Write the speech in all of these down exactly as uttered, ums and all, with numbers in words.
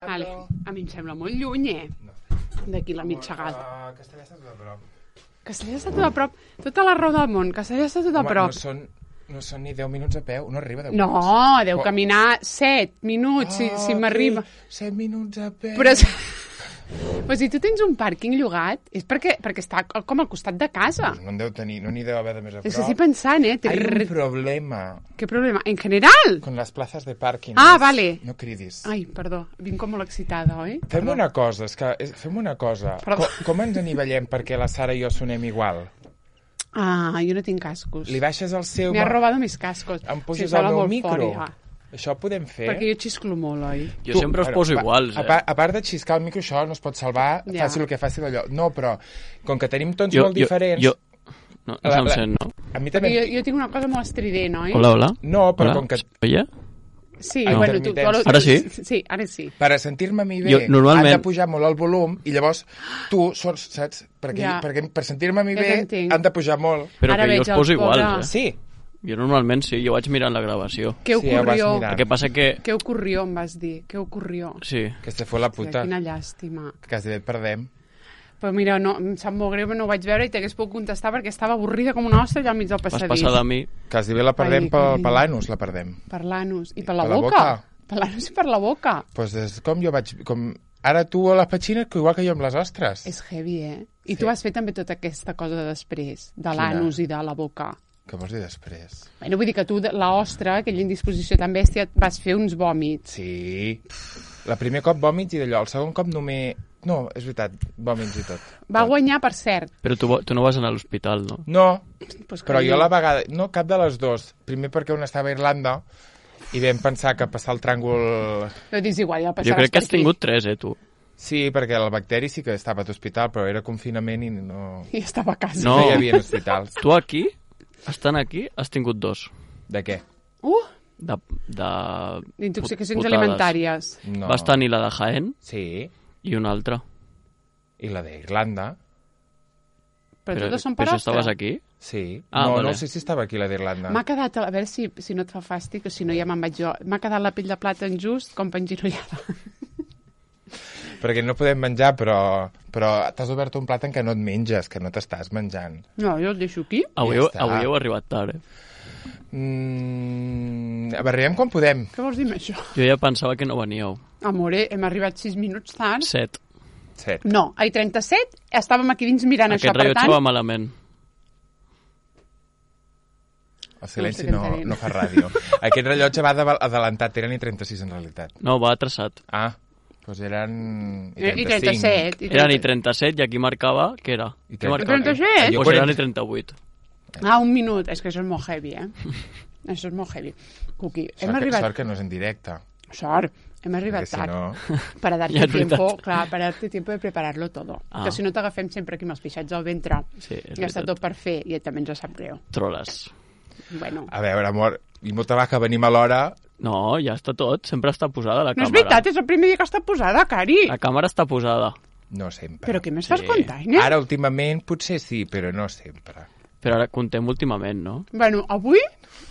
Vale. A mi em sembla molt lluny, eh? No. D'aquí la mitjagada. Uh, Castellà està tot a prop. Castellà està tot a prop. Tota la raó del món. Castellà està tot a Home, prop. No són, no són ni deu minuts a peu. No arriba deu no, minuts. No, deu caminar set minuts, oh, si, si m'arriba. set minuts a peu. Però... Però si tu tens un pàrquing llogat, és perquè, perquè està com al costat de casa. No en deu tenir, no n'hi deu haver de més a prop. És que estic pensant, eh? Hay un problema. ¿Qué problema? ¿En general? Con las plazas de parking. Ah, vale. No cridis. Ai, perdó, vinc com molt excitada, oi? Fem Perdó. una cosa, és que, és, fem una cosa. Com, com ens anivellem perquè la Sara i jo sonem igual? Ah, jo no tinc cascos. Li baixes el seu... M'ha robado mis cascos. Em puges el meu micro. Fort, ja. Això ho podem fer. Perquè jo xisclo molt, oi? Jo tu, sempre us poso a, iguals, eh? A, part, a part de xiscar el micro, això no es pot salvar, ja. Faci el que faci d'allò. No, però, com que tenim tons jo, molt jo, diferents... Jo... No, no se'm sent, no? A mi també... Jo, jo tinc una cosa molt estrident, oi? Hola, hola. No, però hola. com que... Oye? Sí, no. bueno, tu... tu ara sí? Sí, ara sí. Per a sentir-me a mi bé, jo, normalment... han de pujar molt el volum i llavors tu, sols, saps? Perquè, ja. perquè per sentir-me a mi ja bé han de pujar molt. Però ara que jo us poso iguals, eh? Sí. Jo normalment sí, jo vaig mirant la gravació. Què ocurrió? Sí, el que passa que... Què ocurrió, em vas dir? Què ocurrió? Sí. Que se fue la puta. Quina llàstima. Que quasi bé et perdem. Però mira, no, em sap molt greu, no ho vaig veure i t'hagués pogut contestar perquè estava avorrida com una ostra allà al mig del passadís. Vas passar de mi. Quasi bé la perdem Ai, pel, per l'anus, la perdem. Per l'anus. I per la, per la boca. boca. Per l'anus i per la boca. Doncs pues és com jo vaig... Com... Ara tu a les petxines, igual que jo amb les ostres. És heavy, eh? I sí. tu vas fer també tota aquesta cosa de després, de l'anus i de la boca. Què vols dir després? Bueno, vull dir que tu, l'ostra, aquella indisposició tan bèstia, vas fer uns vòmits. Sí. La primer cop vòmits i d'allò. El segon cop només... No, és veritat, vòmits i tot. Va tot. guanyar, per cert. Però tu, tu no vas anar a l'hospital, no? No, pues però jo la vegada... No, cap de les dues. Primer perquè una estava a Irlanda i vam pensar que passar el tràngol... No dis igual, ja passaràs jo crec que has aquí. tingut tres, eh, tu? Sí, perquè el bacteri sí que estava a l'hospital, però era confinament i no... I estava a casa. No, no hi havia hospitals. Tu aquí, estant aquí, has tingut dos. De què? Uh! De... de... D'intoxicacions putades. alimentàries. No. Vas tenir la de Jaén sí. i una altra. I la d'Irlanda. Però, però totes són per però si ostra? estaves aquí? Sí. Ah, no, vale. no sé si estava aquí la d'Irlanda. M'ha quedat, a veure si, si no et fa fàstic o si no ja me'n vaig jo, m'ha quedat la pell de plàtan just com penginollada. Perquè no podem menjar, però, però t'has obert un plat en què no et menges, que no t'estàs menjant. No, jo el deixo aquí. Avui, Ja avui heu arribat tard, eh? Mm, arribem quan podem. Què vols dir amb això? Jo ja pensava que no veníeu. Amore, hem arribat sis minuts tard. Set. Set. No, ai, trenta-set, estàvem aquí dins mirant Aquest això, per rellotge tant... va malament. El silenci No sé no, què no fa ràdio. Aquest rellotge va adelantat, eren i trenta-sis en realitat. No, va traçat. Ah, doncs eren i I trenta-cinc. trenta-set. I Eren i trenta-set i aquí marcava, què era? I Què marcava? trenta-set? Jo Doncs eren quaranta. i trenta-vuit. Ah, un minut. És que això és molt heavy, eh? Això és molt heavy. Cuqui, hem Sort, que, arribat... sort que no és en directe. Sort. Hem arribat Perquè si tard. no... Para darte Ja és tiempo, veritat. clar, para darte tiempo de prepararlo todo. Ah. Que si no t'agafem sempre aquí amb els pixats al ventre. Sí, és Ja està veritat. tot per fer i també ens sap greu. Troles. Bueno. A veure, amor, i molta va que venim a l'hora... No, ja està tot. Sempre està posada la No és càmera. veritat, és el primer dia que està posada, Cari. La càmera està posada. No sempre. Però què més Sí. fas comptant, eh? Ara, últimament, potser sí, però no sempre. Però ara contem últimament, no? Bueno, avui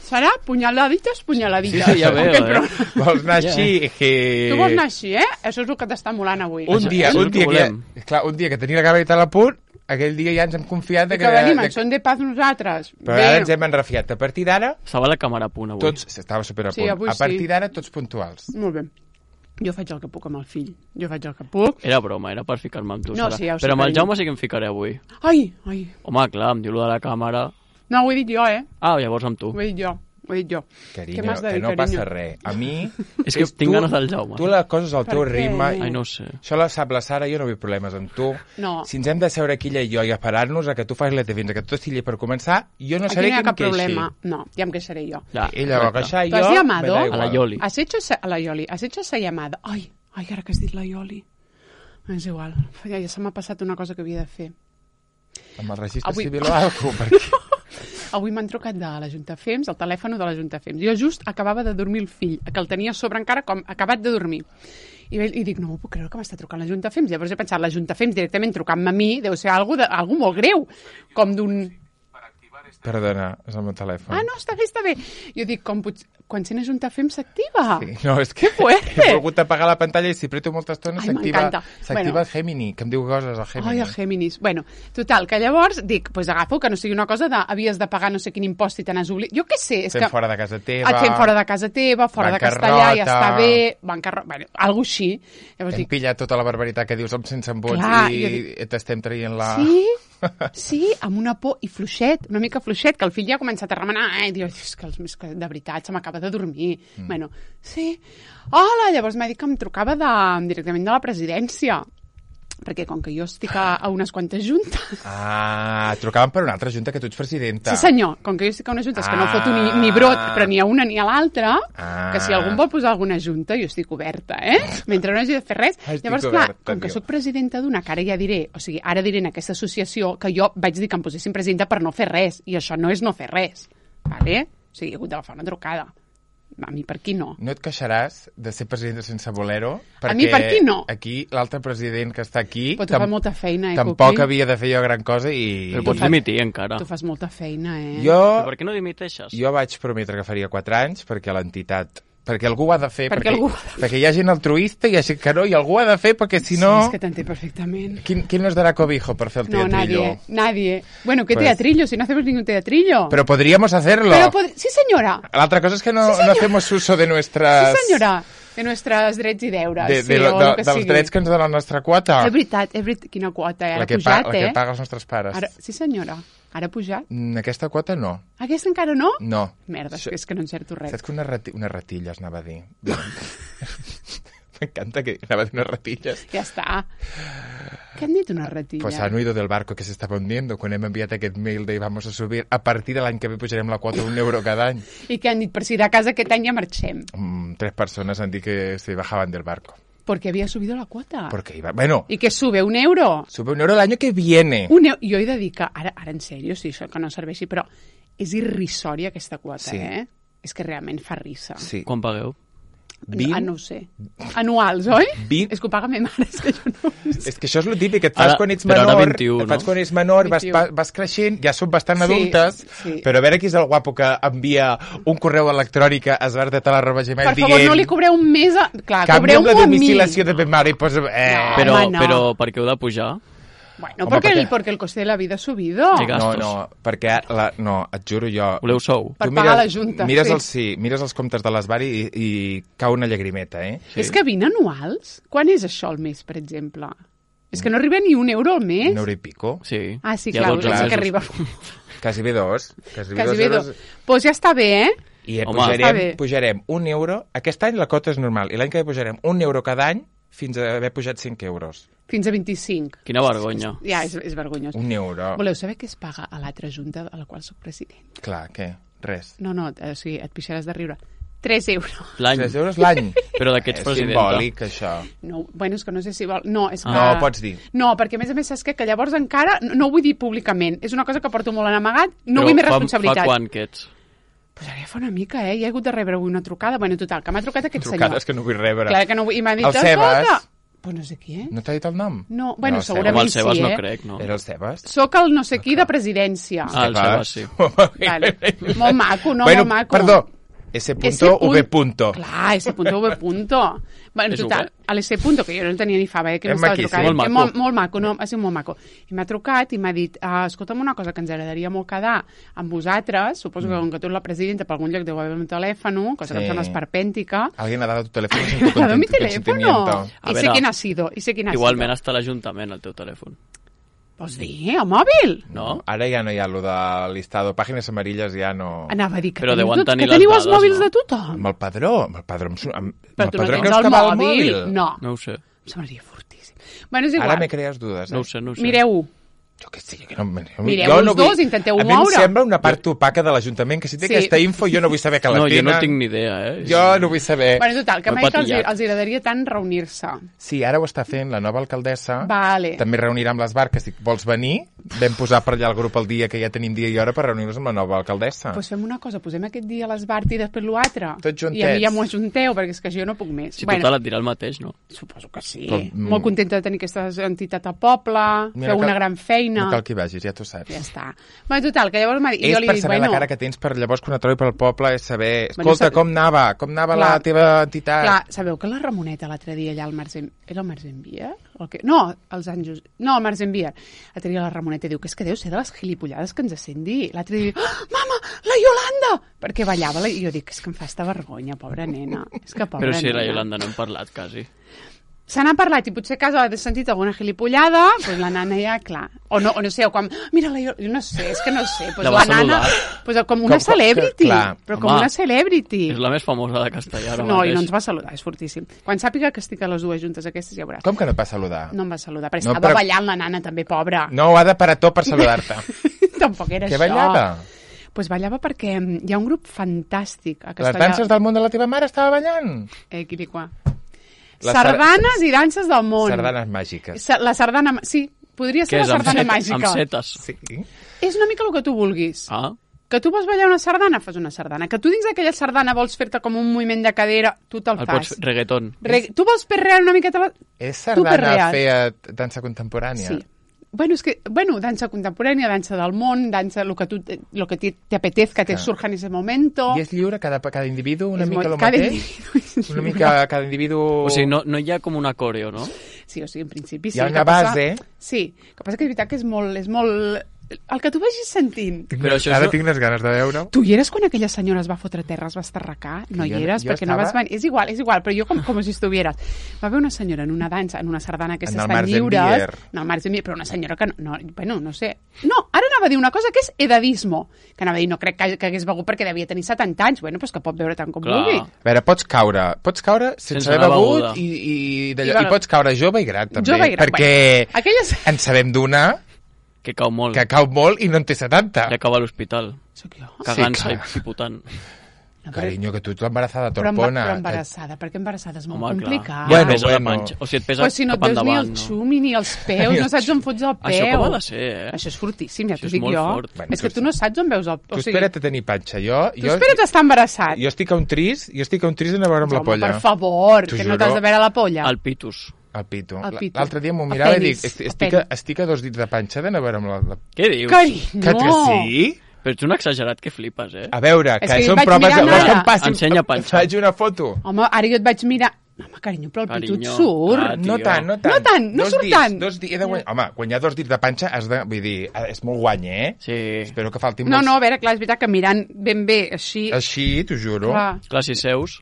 serà punyaladites, punyaladites. Sí, sí, ja veo, Aquest eh? programa. Vols anar Ja. així? Que... Tu vols anar així, eh? Això és el que t'està molant avui. Un Això- dia, això és un el que dia que, volem. clar, un dia que tenia la càmera a punt, aquell dia ja ens hem confiat de I que venim, de, en són de paz nosaltres. però ara ens hem enrefiat. A partir d'ara, Estava la càmera a punt avui. tots... Estava super a Sí, punt. avui a partir sí. d'ara, tots puntuals. Molt bé. Jo faig el que puc amb el fill. Jo faig el que puc. Era broma, era per ficar-me amb tu. No, Sara. sí, ja ho sé, Però amb el carinyo. Jaume sí que em ficaré avui. Ai, ai. Home, clar, em diu lo de la càmera. No, ho he dit jo, eh? Ah, llavors amb tu. Ho he dit jo. Ho he dit jo. Carinyo, Què m'has de que dir, no carinyo? passa res. A mi... És que tinc ganes del Jaume. Tu les coses al teu Per què? ritme... Ai, no ho sé. Això la sap la Sara, jo no vull problemes amb tu. No. Si ens hem de seure aquí ella i jo i esperar-nos a que tu facis la teva fins a que tu estigui per començar, jo no Aquí seré no hi ha qui em cap queixi. problema. No, ja em queixaré jo. Ja, Ella va correcte. queixar i ¿Tú has jo... llamado? me da A igual. la Yoli. Has hecho esa, a la Yoli, has hecho esa llamada. Ai, ai, ara que has dit la Yoli. És igual. Ja, ja se m'ha passat una cosa que havia de fer. Amb el registre Avui- civil o algo, perquè... Avui m'han trucat de la Junta Fems, el telèfon de la Junta Fems. Jo just acabava de dormir el fill, que el tenia a sobre encara com acabat de dormir. I, i dic, no ho puc creure que m'està trucant la Junta Fems. Llavors he pensat, la Junta Fems directament trucant-me a mi deu ser algo, de, algo molt greu, com d'un... Para activar Perdona, és el meu telèfon. Ah, no, està bé, està bé. Jo dic, com pot... quan sent Ajuntafem s'activa. Sí. No, és que fuerte. he volgut apagar la pantalla i si apreto molta estona Ai, s'activa m'encanta. s'activa Bueno. el Gemini, que em diu coses, el Gemini. Ai, el Géminis. Bueno, total, que llavors dic, pues agafo, que no sigui una cosa de havies de pagar no sé quin impost i te n'has oblidat. Jo què sé, és Fem que... fora de casa teva. Et fem fora de casa teva, fora de Castellà, ja bancarrota. està bé, bancarrota, bueno, alguna així. Llavors Hem dic, pillat tota la barbaritat que dius amb sense vots Clar, i jo dic- t'estem traient la... sí, sí, amb una por i fluixet, una mica fluixet, que el fill ja ha començat a remenar, eh, i diu, és que, els, és que de veritat se m'acaba de dormir. Mm. Bueno, sí. Hola, llavors m'ha dit que em trucava de, directament de la presidència, perquè com que jo estic a, a unes quantes juntes... Ah, trucaven per una altra junta que tu ets presidenta. Sí, senyor, com que jo estic a unes juntes que no Ah. foto ni, ni brot, però ni a una ni a l'altra, Ah. que si algú em vol posar alguna junta, jo estic oberta, eh? Mentre no hagi de fer res. Ah, estic Llavors, clar, oberta, com que tio. sóc presidenta d'una, que ara ja diré, o sigui, ara diré en aquesta associació que jo vaig dir que em posessin presidenta per no fer res, i això no és no fer res, vale? O sigui, he hagut d'agafar una trucada. A mi per aquí no. No et queixaràs de ser presidenta sense voler-ho? A mi per aquí no. Aquí, l'altre president que està aquí... Però tu fas molta feina, eh, Tampoc Cuqui? havia de fer jo gran cosa i... Però pots dimitir encara. Tu fas molta feina, eh? Jo, Però per què no dimiteixes? jo vaig prometre que faria quatre anys perquè l'entitat... Perquè algú ho ha de fer. Perquè algú ho ha de fer. Perquè hi ha gent altruista, hi ha gent que no, i algú ho ha de fer perquè si no... Sí, és que t'entenc perfectament. ¿Quién, ¿Quién nos dará cobijo por hacer el No, teatrillo? nadie, nadie. Bueno, ¿qué Pues- teatrillo? Si no hacemos ningún teatrillo. Pero podríamos hacerlo. Pero pod- sí, señora. La otra cosa es que no, Sí, no señora. hacemos uso de nuestras... Sí, senyora, de nostres drets i deures. De, sí, de, lo- o de, el que dels sigui. drets que ens dona la nostra quota. És veritat, és veritat. Quina quota, eh? Ara la, que ha pujat, pa, la eh? que paga els nostres pares. Ara, sí, senyora. Ara ha pujat. Mm, Aquesta quota no. Aquesta encara no? No. Merda, Això- és que no encerto res. Saps que unes, rati unes ratilles, anava a dir. M'encanta que anava a dir unes ratilles. Ja està. Què han dit una ratilla? Pues han oído del barco que se estaba hundiendo quan hem enviat aquest mail de vamos a subir. A partir de l'any que ve pujarem la quota un euro cada any. I què han dit? Per si de casa aquest any ja marxem. Mm, tres persones han dit que se bajaban del barco. Porque había subido la cuota. Porque iba... Bueno, I que sube un euro. sube un euro el año que viene. Un euro. Jo he de dir que, ara, ara en sèrio, sí, això que no serveixi, però és irrisòria aquesta quota, Sí. eh? És que realment fa risa. Sí. Quan pagueu? vint? Ah, no ho sé. Anuals, oi? vint? És que ho paga ma mare, és que jo no ho sé. És que això és el típic que et fas Ara- quan ets però ara menor, vint-i-u, et fas no? quan ets menor, vas, vint-i-u. vas, vas creixent, ja som bastant Sí, adultes, sí. però a veure qui és el guapo que envia un correu electrònic a esbardetal arroba gmail Per dient favor, no li cobreu un mes a... Clar, canvia'm cobreu-m'ho la a mi. domicilació de ma mare i posa... Eh, No. Però, Home, no. però per què heu de pujar? Bueno, Home, porque, perquè- el, porque el coste de la vida ha subido. Sí, no, gastos. no, perquè la, no, et juro jo... Voleu sou? Per Tu pagar la Junta, Mires, sí. els, sí, mires els comptes de l'Esbar i, i cau una llagrimeta, eh? Sí. És que vint anuals? Quan és això al mes, per exemple? És que no arriba ni un euro al mes. Un euro i pico. Sí. Ah, sí, Hi ha clar, dotze sí mesos. que arriba. Quasi bé dos. Quasi, bé Quasi dos bé euros. dos. Pues ja està bé, eh? I Home, està pujarem, bé. pujarem un euro. Aquest any la cota és normal. I l'any que ve pujarem un euro cada any fins a haver pujat cinc euros. Fins a vint-i-cinc. Quina vergonya. Ja, és, és vergonyós. Un euro. Voleu saber què es paga a l'altra junta a la qual sóc president? Clar, què? Res. No, no, o sigui, et pixaràs de riure. tres euros. L'any. tres euros l'any. Però de què ets És presidenta? simbòlic, això. No, bueno, és que no sé si vol... No, és que... No, pots dir. No, perquè a més a més saps què? Que llavors encara... No, no ho vull dir públicament. És una cosa que porto molt en amagat. No Però vull més fa- responsabilitat. Fa quan que ets? Pues ara ja fa una mica, eh? Ja he hagut de rebre avui una trucada. Bueno, total, que m'ha trucat aquest Trucades senyor. que no vull rebre. Clar que no vull... I m'ha dit... El Sebas. "Escolta". Pues no sé qui, eh? No t'ha dit el nom? No, bueno, el Sebas. segurament Home, el Sebas sí, no eh? crec, no? Era el Sebas? Soc el no sé qui de presidència. Ah, el Sebas, sí. Vale. Molt maco, no? bueno, Molt maco. perdó. S punto V punto. Clar, S punto V punto. Bueno, És total, V. a l'S punto, que jo no tenia ni fava, eh, que És m'estava maquíssim. trucant. Molt Eh, maco. Molt, molt maco, no, ha sigut molt maco. I m'ha trucat i m'ha dit, ah, escolta'm una cosa que ens agradaria molt quedar amb vosaltres, suposo que com que tu ets la presidenta per algun lloc deu haver un telèfon, cosa que Sí. em sembla esperpèntica. Alguien ha dado tu teléfono sin Me tu ha dado mi consent- teléfono. consentimiento. A I sé veure, quién ha sido, i sé quién ha Igualment sido. està a l'Ajuntament, el teu telèfon. Vols dir, el mòbil? No? Ara ja no hi ha lo de listado. Pàgines amarilles ja no... Anava a dir que Però teniu, deuen tots, tenir que les teniu els dades, mòbils no? de tothom. Amb el padró. Amb el padró, amb, amb, Però amb tu el no padró tens creus el que va al mòbil? mòbil? No, No ho sé. em semblaria fortíssim. Bueno, és igual. Ara me crees dudes, eh? No ho sé, no ho sé. Mireu-ho. Jo què sé, que no... jo Mireu jo els no vull... dos, intenteu-ho A mi em moure. sembla una part opaca de l'Ajuntament, que si té Sí. aquesta info jo no vull saber que la No, jo tenen. no tinc ni idea, eh? Jo no vull saber. Bueno, total, que M'he m'ha dit que els, patillat. els agradaria tant reunir-se. Sí, ara ho està fent la nova alcaldessa. Vale. També reunirà amb l'Esbar, que si vols venir, vam posar per allà el grup el dia que ja tenim dia i hora per reunir-nos amb la nova alcaldessa. Doncs pues fem una cosa, posem aquest dia a l'Esbart i després l'altre. Tots juntets. I a mi ja m'ho ajunteu, perquè és que jo no puc més. Si bueno, total et dirà el mateix, no? Suposo que sí. Però, mm, Molt contenta de tenir aquesta entitat al poble, Mira, feu cal, una gran feina. No cal que hi vagis, ja t'ho saps. Ja està. Bueno, total, que llavors m'ha dit... És jo li per dic, saber bueno, la cara que tens per llavors quan et trobi pel poble és saber... Bueno, Escolta, sab... com anava? Com anava Clar. la teva entitat? Clar, sabeu que la Ramoneta l'altre dia allà al Marzen... Era el Marzenbier? El que... No, els Àngels... No, el Marzenbier. L'altre dia la Ramoneta diu que és que deu ser de les gilipollades que ens sent dir. L'altre dia diu, oh, mama, la Iolanda! Perquè ballava, la... i jo dic, és que em fa esta vergonya, pobra nena. És que pobra Però si nena. la Iolanda no hem parlat, quasi. Se n'ha parlat i potser a casa ha sentit alguna gilipollada, doncs la nana ja, clar. O no, o no sé, o com, mira, la, jo no sé, és que no sé. Doncs La la, va nana, saludar. doncs com una Com- celebrity, que- clar. però com Home, una celebrity. És la més famosa de Castellà ara No, i mateix. no ens va saludar, és fortíssim. Quan sàpiga que estic a les dues juntes aquestes, ja veuràs. Com que no et va saludar? No em va saludar, però No, estava però- ballant la nana també, pobra. No, ho ha de parar tot per saludar-te. Tampoc era Què això. ballava? Pues ballava perquè mm, hi ha un grup fantàstic a Les Castellà. danses del món de la teva mare estava ballant? Eh, quiliquà. Les Sardanes i danses del món. Sardanes màgiques. Sa- La sardana... ma- Sí, podria Què ser és, la amb, sardana set, màgica. amb setes? Sí. És una mica el que tu vulguis. Ah, Que tu vols ballar una sardana, fas una sardana. Que tu dins d'aquella sardana vols fer-te com un moviment de cadera, tu te'l el pots fas. fer reggaeton. Re... Tu vols perrear una miqueta... La... És Tu sardana perrees. fer dansa contemporània? Sí. Bueno, és que, bueno, dansa contemporània, dansa del món, dansa lo que, tu, lo que te, te apetezca, te Clar. surja en ese momento. I és lliure cada, cada individu una És mica molt- el cada mateix? individu és Una lliure. mica cada individu... O sigui, no, no hi ha com una coreo, no? Sí, o sigui, en principi sí. Hi ha El una que passa- base. Sí, el que passa que és veritat que és molt... És molt... El que tu vagis sentint. Tinc, Però això ara és- tinc unes ganes de veure-ho. Tu hi eres quan aquella senyora es va fotre a terra, es va estarracar? No Jo- hi eres, jo perquè no vas estava- venir. És igual, és igual, però jo com, com si estuvieres. Va haver una senyora en una dansa, en una sardana que En el s'estan Marzenbier. lliures. No, el Marzenbier, però una senyora que no, no... Bueno, no sé. No, ara anava a dir una cosa que és edadismo. Que anava a dir, no crec que, que hagués begut perquè devia tenir setanta anys. Bueno, doncs que pot beure tant com Clar. vulgui. A veure, pots caure, pots caure sense, Sense haver una begut beguda. i, i, d'allò, I, I, bueno, pots caure jove i gran, també. jove i gran, perquè bueno. Aquelles... en sabem d'una Que cau molt. que cau molt i no en té setanta. Ja cau a l'hospital. Soc jo. Cagant-se clar. i pipotant. No, però- Carinyo, que tu ets l'embarassada però, emba- torpona. però embarassada, perquè embarassada és molt Home, clar. complicat. Ja Bueno, et pesa bueno. la panxa. O sigui, et pesa Pues si no et cap veus ni el endavant. No? xumi ni els peus, no saps on fots el peu. Això com ha de ser, eh? Això és fortíssim, ja Això t'ho és dic molt jo. fort. Bueno, És que tu- tu no saps on veus el... Tu espera't a tenir panxa. Jo, Tu jo, espera't estar embarassat. jo estic a un tris, jo estic a un tris d'anar a veure amb la Home, polla. per favor, T'ho que no juro. t'has de veure la polla. El pitus. El pito. El pito. L'altre dia m'ho El mirava i penis, dic, el estic, penis. a, estic a dos dits de panxa d'anar a veure amb la... la... Què dius? Carinyo! Que, que sí? Però ets un exagerat que flipes, eh? A veure, És que, que són vaig proves... mirant Vols que ara. em passi... Ensenya panxa. Faig una foto. Home, ara jo et vaig mirar... Home, carinyo, però el pito et Carinyo. surt. Ah, No tio. tant, no tant. No tant, no dos surt dits, tant. Dos dits, he de guanyar. Home, quan hi ha dos dits de panxa, has de... Vull dir, és molt guany, eh? Sí. Espero que faltin No, molts... no, a veure, clar, és veritat que mirant ben bé així... Així, t'ho juro. Clar. Clar, si seus...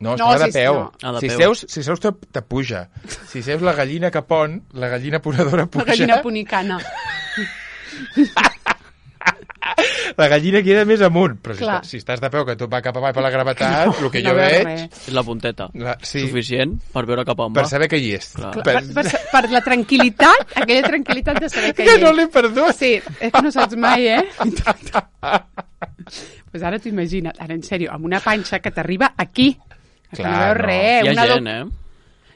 No, No, estava si- de peu. no. Ah, de si, peu. seus, si seus te, te puja. Si seus la gallina que pon, la gallina ponedora La puja. gallina punicana. La gallina queda més amunt. Però si, Clar. estàs, si estàs de peu, que tu va cap avall per la gravetat, no, el que no jo veus veig... res. És la punteta. La, sí, Suficient per veure cap on per va. saber que hi és. Clar. Per, per, per la tranquil·litat, aquella tranquil·litat de saber que Que hi no és. l'he perdut. Sí, és que no saps mai, eh? Pues ara t'ho imagina't, ara en sèrio, amb una panxa que t'arriba aquí. Que Clar, no veus no. res. Hi ha una gent, do- eh?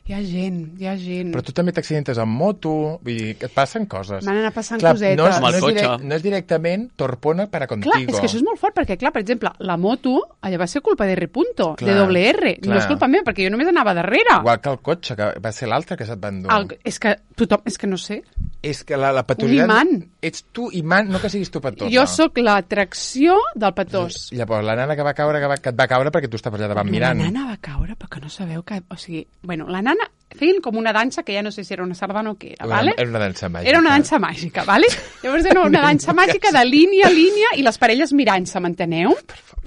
Hi ha gent, hi ha gent. Però tu també t'accidentes amb moto, vull dir, que et passen coses. M'han anat passant Clar, cosetes. no és, Amb el no, és cotxe. direct, no és directament torpona para contigo. Clar, és que això és molt fort, perquè, clar, per exemple, la moto, allà va ser culpa de R. Punto, Clar, de doble R. clar. No és culpa meva, perquè jo només anava darrere. Igual que el cotxe, que va ser l'altre que se't va endur. El, és que tothom, és que no sé. És que la, la patositat... Un imant. Ets tu imant, no que siguis tu patosa. Jo sóc l'atracció del petós. Llavors, la nana que va caure, que, va, que et va caure perquè tu estaves allà davant mirant. La nana va caure, però que no sabeu que... O sigui, bueno, la nana feien com una dansa que ja no sé si era una sardana o què era, Una- vale? Era una dansa màgica. Era una dansa màgica, vale? Llavors era una dansa màgica de línia a línia i les parelles mirant-se, m'enteneu?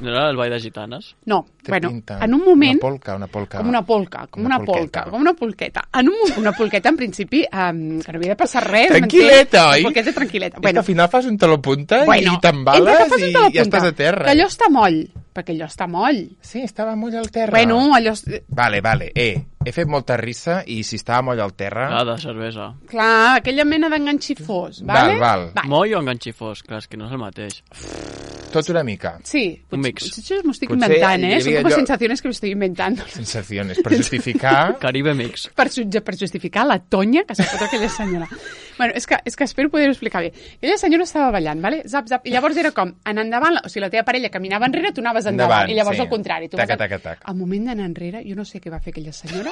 No era el ball de gitanes? No, Té bueno, pinta. en un moment... Una polca, una polca. Com una polca, com Una una, polca, polqueta. com una polqueta. En un, mo- una polqueta, en principi, um, que no havia de passar res. Tranquil·leta, m'entens? oi? Una polqueta tranquil·leta. És que al final fas un taló-punta bueno, i t'embales entre que fas un i talapunta, ja estàs a terra. Que allò està moll, perquè allò està moll. Sí, estava molt al terra. Bueno, allò... és- Vale, vale, eh. he fet molta rissa i si estava moll al terra... Ah, de cervesa. Clar, aquella mena d'enganxifós, vale? Val, val. Moll o enganxifós? Clar, és que no és el mateix. Tot una mica. Sí, Un potser, mix. potser m'ho estic Potser inventant, hi eh? Són havia com allò- sensaciones que me estoy inventando. Sensaciones. Per justificar... Caribe mix. Per, su- per justificar la tonya que s'ha fotut aquella senyora. Bueno, és que, és que espero poder-ho explicar bé. Aquella senyora estava ballant, vale? Zap, zap, i llavors era com, en endavant, o sigui, la teva parella caminava enrere, tu anaves endavant, Endavant, i llavors sí. al contrari. Tu Taca, vas a- taca, taca. Al moment d'anar enrere, jo no sé què va fer aquella senyora,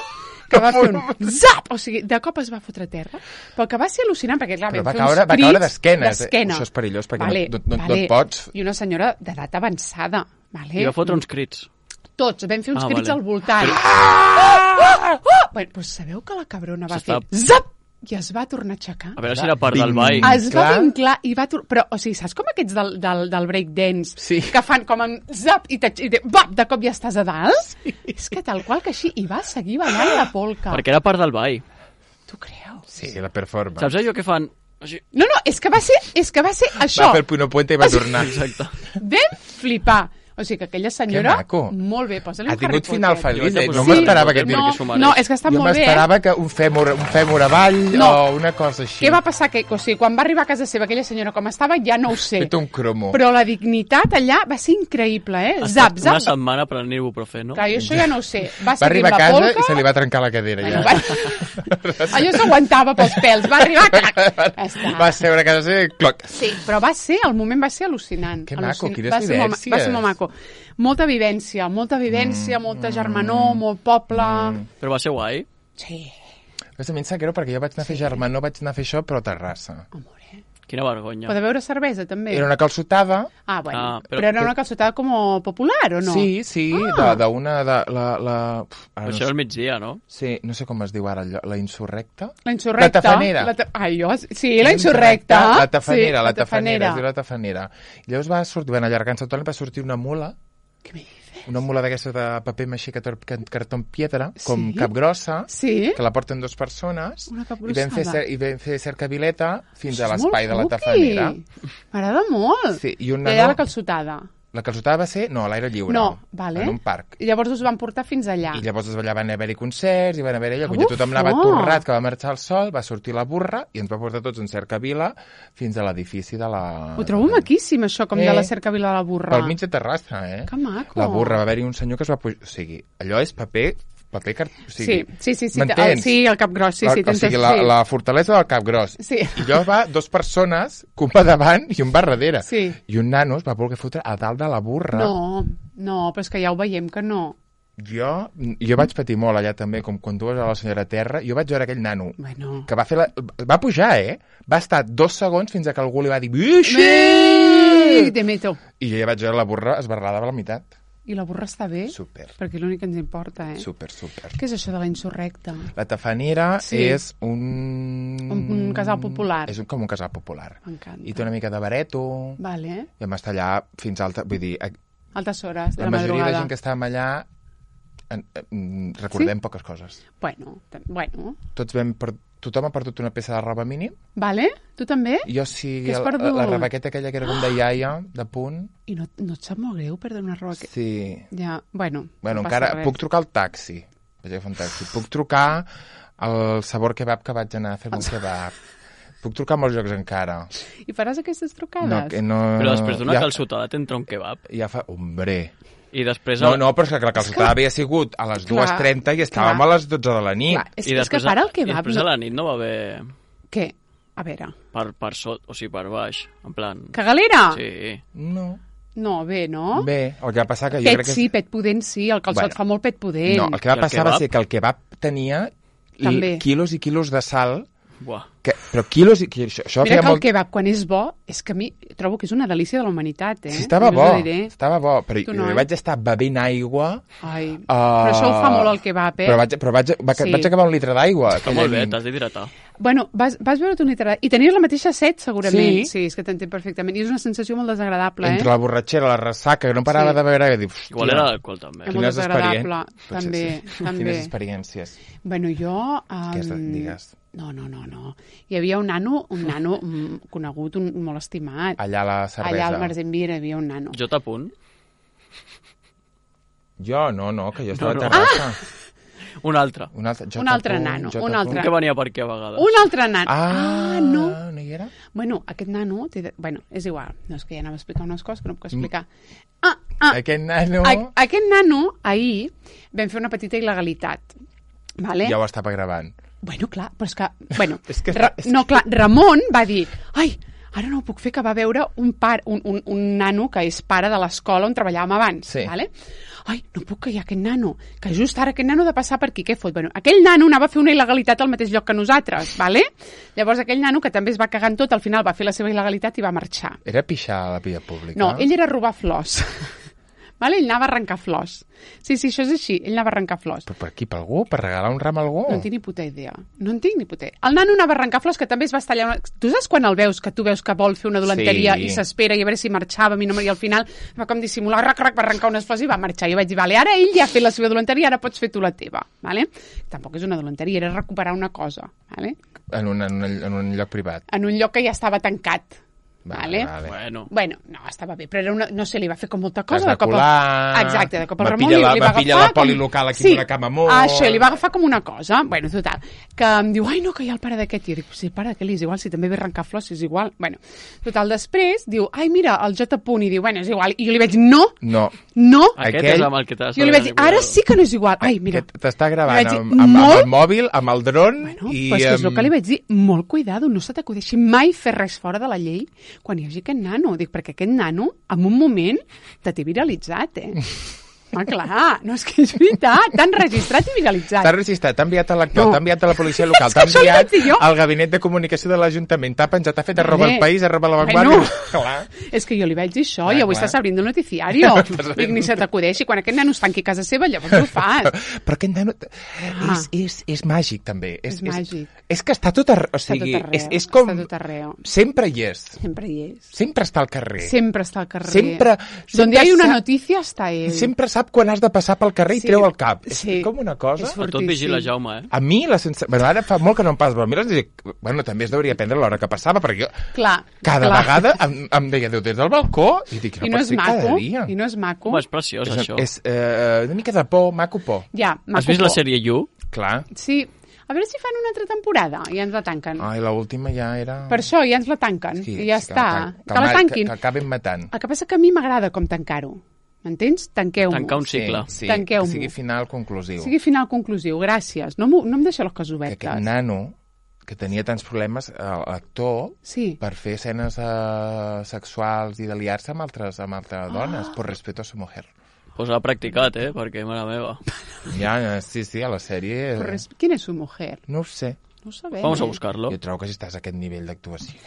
que va fer un zap! O sigui, de cop es va fotre a terra, però que va ser al·lucinant, perquè clar, Però vam va fer caure- uns va caure crits d'esquenes, eh? d'esquena. Això és perillós, perquè vale, no- no- no vale. et pots- I una senyora d'edat avançada, vale? I va fotre uns crits. Tots, vam fer uns Ah, crits vale. al voltant. Ah! Ah! Bueno, doncs sabeu que la cabrona va fer S'està- zap! I es va tornar a aixecar. A veure si era part del Vinc. ball. Ah, Es va Clar. vinclar i va... Tor... Però, o sigui, saps com aquests del, del, del breakdance? Sí. Que fan com en zap i, te, i te, bap, de cop ja estàs a dalt? Sí. És que tal qual que així, i va seguir ballant la polca. Perquè era part del ball. Tu creus? Sí, la performance. Saps allò que fan? Així. No, no, és que va ser, és que va ser això. Va fer el puno puente i va tornar. Exacte. Vam flipar. O sigui que aquella senyora... Que maco. Molt bé, posa-li un Ha Harry tingut final Potter. feliç, eh? Jo No vaig a m'esperava posar que... un No, que s'ho mereix. no, és que està Jo molt bé. eh? m'esperava que un fèmur, un fèmur avall No. o una cosa així. Què va passar? Que, o sigui, quan va arribar a casa seva aquella senyora com estava, ja no ho sé. Fet un cromo. Però la dignitat allà va ser increïble, eh? Ha Zap, estat zap. Una setmana prenent ibuprofeno. Clar, jo això ja no ho sé. Va Va seguir arribar a la casa polca... i se li va trencar la cadera. Bueno, Ja. va... Allò s'aguantava pels pèls. Va arribar... Clac. Ja està. Va seure a casa i cloc. Sí, però va ser, el moment va ser al·lucinant. Que maco, Al·lucinant. quines va ser molt, vivències. va ser molt maco. Molta vivència, molta vivència, mm, molta germanor, mm, molt poble... Mm. Però va ser guai. Sí, Però també em sap greu perquè jo vaig anar a fer germà, no vaig anar a fer això, però a Terrassa. amore. Quina vergonya. Pot beure cervesa, també? Era una calçotada. Ah, bueno. Ah, però... però- però era una calçotada com popular, o no? Sí, sí, Ah. de- d'una... De, la, la... Uf, ara Però no això sé- era al migdia, no? Sí, no sé com es diu ara, allò, la insurrecta? La insurrecta. La tafanera. La ta... Ai, jo... Sí, la insurrecta. La tafanera, sí, la tafanera, es diu la tafanera. I llavors va sortir, van allargant-se tot, va sortir una mula, Què me dices? una mula d'aquesta de paper maixí que tor- que- cartó en piedra, com Sí? capgrossa, Sí? que la porten dues persones, Una i vam fer, capgrossada. cer i vam fer cercavileta fins Això a és l'espai molt de la cuqui. tafanera. M'agrada molt. Sí, i un I allà nano- la calçotada. La calçotada va ser, no, a l'aire lliure, No, vale. en un parc. I llavors us van portar fins allà. I llavors allà van haver-hi concerts, i van haver-hi allò, Que quan ja tothom anava bufó! torrat, que va marxar el sol, va sortir la burra i ens va portar tots en cercavila fins a l'edifici de la... Ho trobo maquíssim, això, com Eh. de la cercavila de la burra. Pel mig de Terrassa, eh? Que maco. La burra, va haver-hi un senyor que es va pujar... O sigui, allò és paper... paper car... o sigui, Sí, sí, sí. sí, m'entens? el, sí, el cap gros, sí, la, sí. o t'entens, sigui, la, sí. la fortalesa del Cap Gros. Sí. I allò va dos persones, que un va davant i un va darrere. Sí. I un nano es va voler fotre a dalt de la burra. No, no, però és que ja ho veiem que no. Jo, jo vaig patir molt allà també, com quan tu vas a la senyora Terra, jo vaig veure aquell nano Bueno. que va fer la... va pujar, eh? Va estar dos segons fins a que algú li va dir "Vixe!" Ei, te meto. I jo ja vaig veure la burra esbarrada a la meitat. I la burra està bé? Super, Perquè l'únic que ens importa, eh? super, super. Què és això de la insurrecta? La tafanera Sí. és un... Un, un casal popular. És un, com un casal popular. M'encanta. I té una mica de bareto, Vale. i vam estar allà fins alta... Vull dir, a- Altes hores de la la, majoria de madrugada. gent que estàvem allà en, en, recordem Sí? poques coses. Bueno, t- bueno. Tots vam... Per... Tothom ha perdut una peça de roba mínim. Vale? Tu també? Jo sí, Què has la, perdut? la rebequeta aquella que era com de iaia, de punt. I no, no et sap molt greu perdre una roba que... Sí. Ja, bueno, Bueno, no passa encara res. puc trucar al taxi. Vaig agafar un taxi. Puc trucar al Sabor Kebab que vaig anar a fer un kebab. Puc trucar a molts llocs encara. I faràs aquestes trucades? No, que no... Però després d'una ja, calçotada t'entra un kebab. Ja fa... Hombre... I després... No, no, però és que la calçotada havia sigut a les dues trenta i estàvem clar. a les dotze de la nit. Clar, és, I és que després, para el I kebab... després No... a la nit no va haver... Què? A veure... Per, per sot, o sigui, per baix. En plan... Cagalera? Sí. No. No, bé, no? Bé, el que va passar que jo Pet crec que... sí, pet pudent sí, el calçot Bueno. fa molt pet pudent. No, el que va I el passar va kebab? ser que el kebab tenia També. l- quilos i quilos de sal, Buah. que, però quilos i... Això, això Mira feia que el molt... kebab, quan és bo, és que a mi trobo que és una delícia de la humanitat, eh? Sí, estava Jo bo, us ho diré. estava bo, però Tu jo no, eh? vaig estar bevent aigua... Ai, Uh, però això ho fa molt el kebab, eh? Però vaig, però vaig, va, Sí. vaig acabar un litre d'aigua. Està aquella molt bé, nit. t'has d'hidratar. Bueno, vas, vas veure tu un litre... I tenies la mateixa set, segurament. Sí. Sí, és que t'entenc perfectament. I és una sensació molt desagradable, Entre eh? la borratxera, la ressaca, que no parava Sí. de beure, i dic, Igual era l'alcohol, també. És molt quines desagradable, experien- també, Potser també. Quines experiències. Bueno, jo... Um... Què has de- digues? No, no, no, no. Hi havia un nano, un nano mm, conegut, un, molt estimat. Allà a la cervesa. Allà al Marzenbir hi havia un nano. Jo t'apunt. Jo, no, no, que jo estava No, a no. Terrassa. Un altre. Un altre, J. Un altre nano, J. un altre. Que venia per aquí a vegades. Un altre nano. Ah, ah no. no hi era? Bueno, aquest nano... Té de... Bueno, és igual. No, és que ja anava a explicar unes coses que no puc explicar. Ah, ah. Aquest nano... A aquest nano, ahir, vam fer una petita il·legalitat. Vale? Ja ho estava gravant. Bueno, clar, però és que... Bueno, és que Ra... No, clar, Ramon va dir... Ai, ara no ho puc fer, que va veure un, par, un, un, un nano que és pare de l'escola on treballàvem abans. Sí. Vale? Ai, no puc que hi ha aquest nano, que just ara aquest nano ha de passar per aquí, què fot? Bueno, aquell nano anava a fer una il·legalitat al mateix lloc que nosaltres, vale? Llavors aquell nano, que també es va cagar en tot, al final va fer la seva il·legalitat i va marxar. Era pixar a la via pública? No, ell era robar flors. Vale? Ell anava a arrencar flors. Sí, sí, això és així. Ell anava a arrencar flors. Però per aquí, per algú? Per regalar un ram a algú? No en tinc ni puta idea. No en tinc ni puta idea. El nano anava a arrencar flors, que també es va estallar... Una... Tu saps quan el veus, que tu veus que vol fer una dolenteria Sí. i s'espera i a veure si marxava i, no, i al final va com dissimular, rac, rac, va arrencar unes flors i va marxar. I jo vaig dir, vale, ara ell ja ha fet la seva dolenteria, ara pots fer tu la teva. Vale? Tampoc és una dolenteria, era recuperar una cosa. Vale? En, un, en, un, en un lloc privat. En un lloc que ja estava tancat. Vale, Vale? vale. Bueno, Bueno, no, estava bé, però era una, no sé, li va fer com molta cosa. Es va de cop el- colar, Exacte, de cop el va Ramon pillar li, la- li va va pillar agafar la poli local aquí sí, amb una cama molt- això, li va agafar com una cosa. Bueno, total, que em diu, ai, no, que hi ha el pare d'aquest. I jo dic, sí, el pare d'aquest és igual, si també ve a arrencar flors, és igual. Bueno, total, després diu, ai, mira, el J. Punt, i diu, bueno, és igual. I jo li vaig dir, no, No. no. aquest Aquell- és amb el que t'has Jo li vaig dir, ara sí que no és igual. Ai, mira. Que t'està gravant Li vaig dir, amb, amb, amb molt- el mòbil, amb el dron Bueno, i... però és que és el amb- que li vaig dir, molt cuidado, no se t'acudeixi mai fer res fora de la llei quan hi hagi aquest nano. Dic, perquè aquest nano, en un moment, te té viralitzat, eh? Ah, clar, no, és que és veritat, t'han registrat i viralitzat. T'ha registrat, t'ha enviat a l'actor, No. t'ha enviat a la policia local, És que t'ha això li enviat vaig dir jo. al gabinet de comunicació de l'Ajuntament, t'ha penjat, t'ha fet arroba Vale. el país, arroba la Bueno. vanguardia... Clar. És que jo li vaig dir això, Clar, i avui clar. estàs abrindo el noticiario. Dic, ni se t'acudeixi, quan aquest nano es tanqui a casa seva, llavors ho fas. Però aquest nano Ah. és, és, és màgic, també. És, És màgic. És, és que està tot arreu. O Està sigui, tot arreu, és, és com... està tot arreu. Sempre hi és. Sempre hi és. Sempre està al carrer. Sempre està al carrer. Sempre- Donde sempre hay una sap- noticia, està ell. Sempre sap quan has de passar pel carrer i Sí. treu el cap. És Sí. com una cosa... És a tot fortíssim. vigila Jaume, eh? A mi la sensació... Bueno, ara fa molt que no em passa, però a mi la sensació... Bueno, també es deuria prendre l'hora que passava, perquè jo Clar, cada clar. vegada em, em deia Déu des del balcó i dic, no, I no pot és ser cada maco, dia. i no és maco. Home, és preciós, És, això. és eh, una mica de por, maco por. Ja, maco. Has vist la por. sèrie You? Clar. Sí. A veure si fan una altra temporada i ja ens la tanquen. Ai, l'última ja era... Per això ja ens la tanquen. Sí, I ja sí, està. Que, Que, la ma- tanquin. Que, que acaben matant. El que passa que a mi m'agrada com tancar-ho. M'entens? Tanqueu-m'ho. Tancar un cicle. Sí, sí, Tanqueu-m'ho. que sigui final conclusiu. Sigui final conclusiu. Gràcies. No, m'ho- no em deixeu les coses Que obertes. aquest nano, que tenia tants problemes, eh, l'actor, Sí. per fer escenes eh, sexuals i de liar-se amb altres, amb altres dones, por respeto a su mujer. Pues l'ha practicat, eh? Perquè, mare meva. Ja, eh, sí, sí, a la sèrie... Però res- Quina és su mujer? No ho sé. No ho sabem. Vamos a eh? buscar-lo. Jo trobo que si estàs a aquest nivell d'actuació...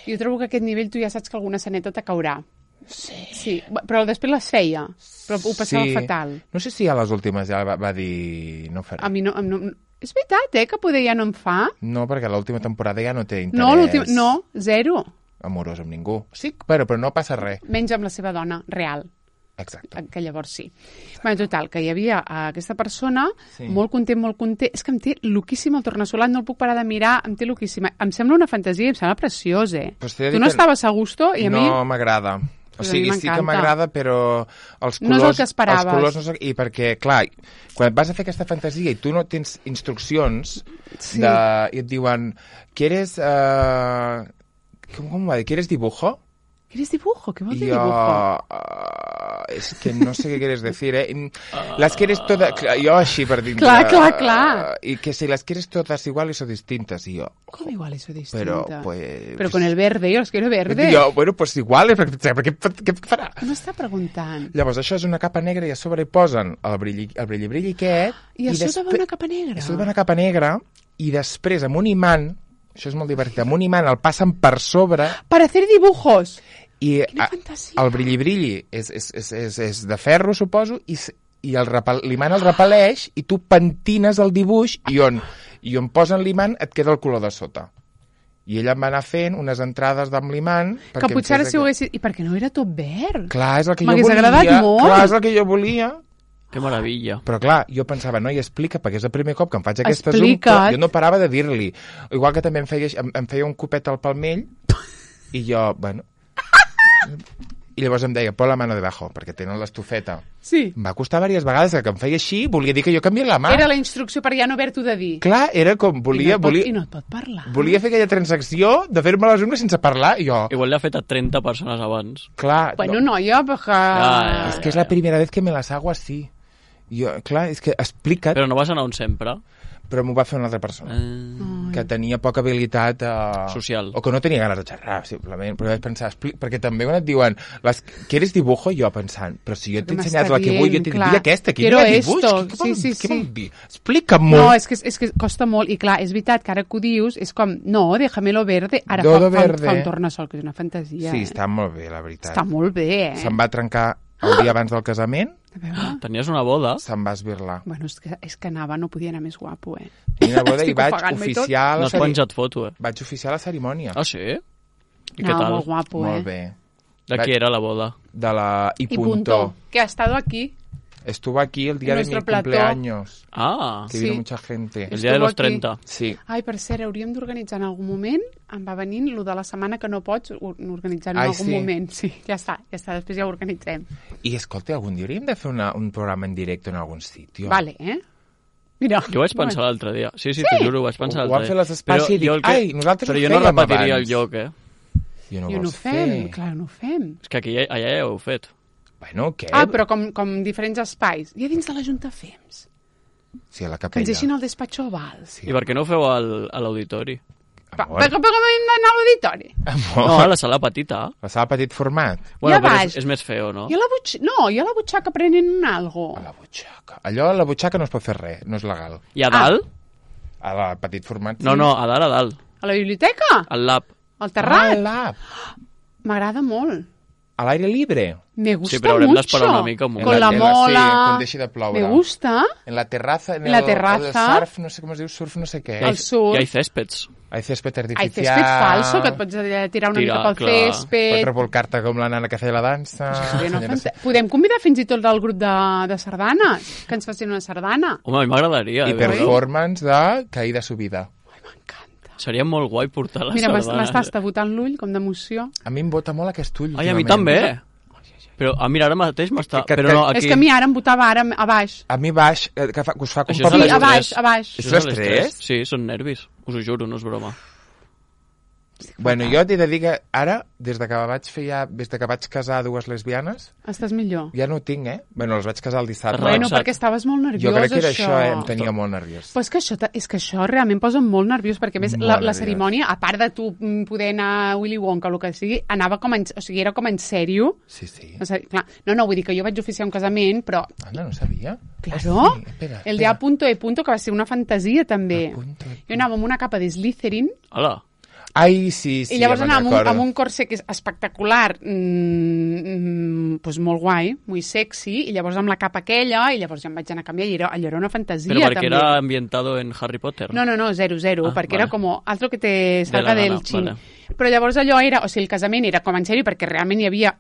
Jo trobo que a aquest nivell tu ja saps que alguna saneta te caurà. Sí. Sí, però després les feia, però ho passava Sí. fatal. No sé si a les últimes ja va, va dir... No ho faré. A mi no, no... És veritat, eh, que poder ja no em fa. No, perquè l'última temporada ja no té interès No, l'últim... No, zero. amorós amb ningú. Sí, però, però no passa res. Menys amb la seva dona, real. Exacte. Que llavors sí. Bueno, total, que hi havia eh, aquesta persona, Sí. molt content, molt content. És que em té loquíssim el tornassolat, no el puc parar de mirar, em té loquíssima. Em sembla una fantasia, em sembla preciós, eh? Pues t'he de Tu dir no que estaves a gusto i a mi... No m'agrada. O Pues a sigui, mi sí que m'encanta. m'agrada, però els colors... No és el que esperaves. Els colors no són... I perquè, clar, quan vas a fer aquesta fantasia i tu no tens instruccions Sí. de... i et diuen, ¿quieres... Uh... Com, com va dir? ¿Quieres dibujo? ¿Quieres dibujo? Què vol Y dir yo, dibujo? uh, es que no sé qué quieres decir, ¿eh? Las quieres todas... Yo així per dintre... Clar, clar, clar. Y que si las quieres todas iguales o distintas. Y yo... Com igual eso distinta? Pero, pues... Pero con el verde, yo los quiero verde. Jo, bueno, pues igual, perquè, perquè, què farà? No està preguntant. Llavors, això és una capa negra i a sobre hi posen el brilli, el brilli, brilli aquest... I a sota va despre- una capa negra. I a sota va una capa negra i després amb un imant, això és molt divertit, amb un imant el passen per sobre Para hacer dibujos. i Quina a, fantasia. el brilli, brilli és, és, és, és, és de ferro, suposo, i, s- i el repel, l'imant el repel·leix i tu pentines el dibuix i on, i on posen l'imant et queda el color de sota. I ella em va anar fent unes entrades amb l'imant... Que perquè em potser ara fes si ho aquest- haguessis... I perquè no era tot verd? Clar, és el que jo M'hagués volia. agradat molt. Clar, és el que jo volia. Que meravella. Però clar, jo pensava, no, i explica, perquè és el primer cop que em faig aquesta zoom, Explica't. jo no parava de dir-li. Igual que també em feia, em, em feia un copet al palmell, i jo, bueno... I llavors em deia, pon la mano debajo, perquè tenen l'estufeta. Sí. Em va costar diverses vegades que em feia així, volia dir que jo canviés la mà. Era la instrucció per ja no haver-t'ho de dir. Clar, era com, volia... I no, et pot, volia... I no et pot parlar. Volia fer aquella transacció de fer-me les ungles sense parlar, i jo... Igual l'ha fet a trenta persones abans. Clar, Bueno, no, noia, perquè... Ja, ja, és que és la primera vez que me las hago así. Jo, clar, és que explica't, Però no vas anar on sempre. però m'ho va fer una altra persona. Eh... Que tenia poca habilitat uh, Social. o que no tenia ganes de xerrar, simplement. Però vaig pensar, expli... perquè també quan et diuen les... ¿quieres dibujo? Jo pensant, però si jo t'he ensenyat la que vull, jo t'he dit, "Di aquesta, que Quiero no hi ha dibuix, esto". què, què, Sí, vol, sí, què sí. vol dir? Explica'm-ho. No, és que, és que costa molt, i clar, és veritat que ara que ho dius, és com, no, déjamelo verde, ara fa, Dodo fa, verde. fa un tornassol, que és una fantasia. Sí, eh? està molt bé, la veritat. Està molt bé, eh? Se'n va trencar el dia abans del casament, A veure. Tenies una boda? se'n va esbirlar. Bueno, és que, és que anava, no podia anar més guapo, eh? Tenia una boda i Estic vaig ofegant-me i tot. oficiar, No la has ceri... penjat foto, eh? vaig oficiar la cerimònia. Ah, sí? I què Anava tal? molt guapo, Molt eh? bé. De qui era la boda? De la I, Y punto. punto, que ha estado aquí. Estuvo aquí el día En de mi nuestro plató. cumpleaños, Ah, que Sí. vino mucha gente. el dia de Estuvo los aquí. trenta. Sí. Ai, per cert, hauríem d'organitzar en algun moment, em va venint lo de la setmana que no pots, or- organitzar en Ai, algun sí. moment. Sí, ja està, ja està, després ja ho organitzem. I escolta, algun dia hauríem de fer una, un programa en directe en algun sitio. Vale, eh? Mira. Jo vaig pensar l'altre dia. Sí, sí, Sí? t'ho juro, ho vaig pensar Ho l'altre van dia. fer les espais i dic, el ai, nosaltres Però ho jo no fèiem repetiria abans. el lloc, eh? Jo no I no vols ho fem, fer. clar, no ho fem. És que aquí, ja- allà ja ho heu fet. Bueno, què? Ah, però com, com diferents espais. I a dins de la Junta Fems. Sí, a la Que capella. ens deixin al despatxo oval. Sí. I per què no ho feu al, a l'auditori? Pa, Amor. però, però com hem d'anar a l'auditori? Amor. No, a la sala petita. La sala petit format. Bueno, I a però baix? és, és més feo, no? I a la butxaca? No, i a la butxaca prenent algo. A la butxaca. Allò a la butxaca no es pot fer res, no és legal. I a dalt? A la petit format... No, no, a dalt, a dalt. A la biblioteca? Al lab. Al terrat? Ah, lab. M'agrada molt. A l'aire libre. Me gusta Sí, però haurem mucho. d'esperar una mica un moment. Con la En la- sí, mola. quan deixi de ploure. Me gusta. En la terraza, en, En la el, terraza. el surf, no sé com es diu, surf no sé què. I ha, Al sur. I ha céspeds. Hay césped Ai, artificial. césped falso, que et pots eh, tirar una Tirar, mica pel clar. Pots césped. revolcar-te com la nana que feia la dansa. Bé, no, Jo fanta- sé. Podem convidar fins i tot del grup de, de sardanes, que ens facin una sardana. Home, a mi m'agradaria. I eh, veure-ho. performance de caïda subida. Ai, m'encanta. Seria molt guai portar les Mira, m'es- sardanes. m'estàs tabotant l'ull, com d'emoció. A mi em bota molt aquest ull. Ai, a mi últimament. també. Però, ah, mira, ara mateix m'està... Que- que- Però no, que- aquí... És que a mi ara em botava ara a baix. A mi baix, eh, que, fa, que us fa com Això poc és Sí, l'estrès. a baix, a baix. Això és l'estrès? Sí, són nervis. Us ho juro, no és broma. Bueno, jo t'he de dir que ara, des de que vaig fer ja, des de que vaig casar dues lesbianes, Estàs millor. ja no ho tinc, eh? Bueno, les vaig casar el dissabte. Relaxat. Bueno, perquè estaves molt nerviós, jo crec que era això. això, eh? Em tenia molt nerviós. Però és que això, ta- és que això realment posa molt nerviós, perquè a més Molt la, la nerviós. cerimònia, a part de tu mm, poder anar a Willy Wonka o el que sigui, anava com en, o sigui, era com en sèrio. Sí, sí. O sigui, clar, no, no, vull dir que jo vaig oficiar un casament, però, Anda, no sabia. claro, Ah, sí? Espera, el de espera. A punto E punto, que va ser una fantasia també. A punto E Jo anava amb una capa de Slytherin, Hola. Ai, sí, sí, i llavors ja anava me'n amb un, recordo. amb un corset que és espectacular, mm, mm, pues molt guai, muy sexy, i llavors amb la capa aquella, i llavors ja em vaig anar a canviar, i era, allò era una fantasia Però perquè també. era ambientado en Harry Potter. No, no, no, zero, zero, Ah, perquè vale. era com algo que te salga De la del gana, chin. vale. Però llavors allò era, o sigui, el casament era com en sèrio, perquè realment hi havia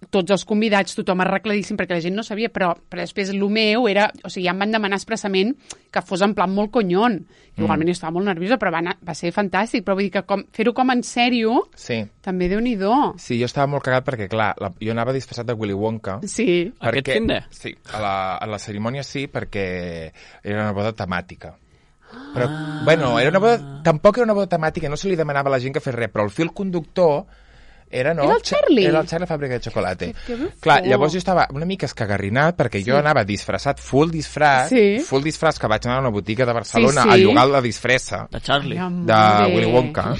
tots els convidats, tothom arregladíssim, perquè la gent no sabia, però, però després el meu era, o sigui, ja em van demanar expressament que fos en plan molt conyon. Igualment jo estava molt nerviosa, però va, anar, va ser fantàstic, però vull dir que com, fer-ho com en sèrio, Sí. també Déu-n'hi-do. Sí, jo estava molt cagat perquè, clar, la, jo anava disfressat de Willy Wonka. Sí. Aquest perquè, fin de? Sí, a la, a la cerimònia sí, perquè era una boda temàtica. Però, ah. bueno, era una boda... Tampoc era una boda temàtica, no se li demanava a la gent que fes res, però el fil conductor era, no? Era el Charlie? Era el Charlie Fàbrica de Xocolate. Que- que Clar, fort. llavors jo estava una mica escagarrinat perquè jo anava disfressat, full disfraç, Sí. full disfraç que vaig anar a una botiga de Barcelona Sí, sí. a llogar la disfressa De Charlie. Ai, de amore. Willy Wonka.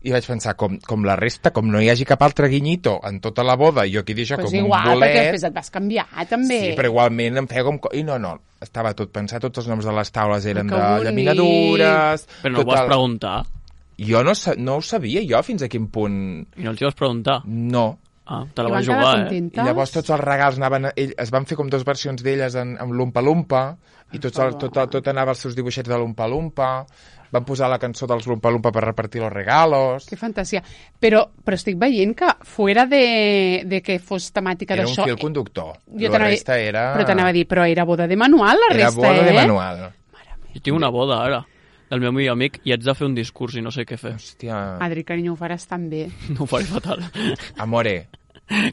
I vaig pensar, com, com la resta, com no hi hagi cap altre guinyito en tota la boda, i jo aquí deixo Pues com igual, un perquè bolet... després et vas canviar, també. Sí, però igualment em feia com... co- I no, no, estava tot pensat, tots els noms de les taules eren Que de bonic. llaminadures... Però no ho tot vas el- preguntar. Jo no, sa- no ho sabia, jo, fins a quin punt... I no els hi vas preguntar. No. Ah, te la I vas van quedar jugar, eh? I contentes. llavors tots els regals anaven... a- Ell, es van fer com dues versions d'elles en, amb l'Umpa-Lumpa, i tots el, tot, tot anava als seus dibuixets de l'Umpa-Lumpa, van posar la cançó dels l'Umpa-Lumpa per repartir los regalos... Que fantasia. Però, però estic veient que fuera de, de que fos temàtica Era un d'això... fil conductor. Jo La t'anava a dir- resta era... Però t'anava a dir, però era boda de manual, la Era resta, boda eh? de manual. Jo tinc una boda, ara, del meu millor amic, i haig de fer un discurs i no sé què fer. Hòstia, Adri, carinyo, ho faràs tan bé. No ho faré fatal. amore,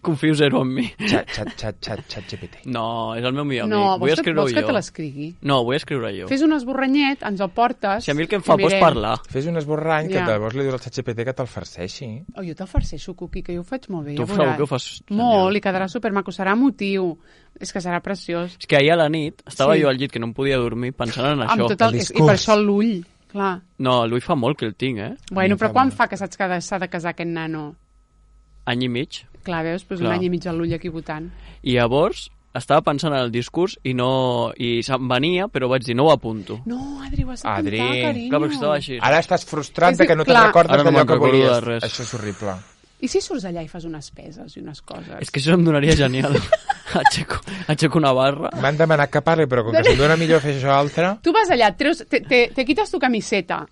Confio zero en mi. Xat, xat, xat, xat, xat G P T. No, és el meu millor No, amic. Vull vols que, escriure-ho vols que jo. te l'escrigui? No, vull escriure jo. Fes un esborranyet, ens el portes... Si a mi el que em fa i por és mirem. parlar. Fes un esborrany que Ja. llavors li dius al xat G P T que te'l farceixi. Oh, jo te'l farceixo, Cuqui, que jo ho faig molt bé. Tu ja segur veuràs. que ho fas Molt, genial. i quedarà supermaco, serà emotiu. És que serà preciós. És que ahir a la nit estava Sí. jo al llit que no em podia dormir pensant en Amb això. tot el, el I discurs. per això l'ull, clar. No, l'ull fa molt que el tinc, eh? Bueno, em però fa quan molt. fa que saps que ha de- s'ha de casar aquest nano? Any i mig. Clar, veus? Pues Clar. un any i mig a l'ull aquí votant. I llavors estava pensant en el discurs i no i se'm venia, però vaig dir, no ho apunto. No, Adri, ho has Adri. d'apuntar, carinyo. Clar, perquè estava així. Ara estàs frustrant És dir, que no te'n clar. recordes Ara no d'allò me'n que recordo volies. de res. Això és horrible. I si surts allà i fas unes peses i unes coses? És que això em donaria genial. aixeco, aixeco una barra. M'han demanat que parli, però com que se'm dona millor fer això altre... Tú vas allá, treus, te, te, te quitas tu camiseta,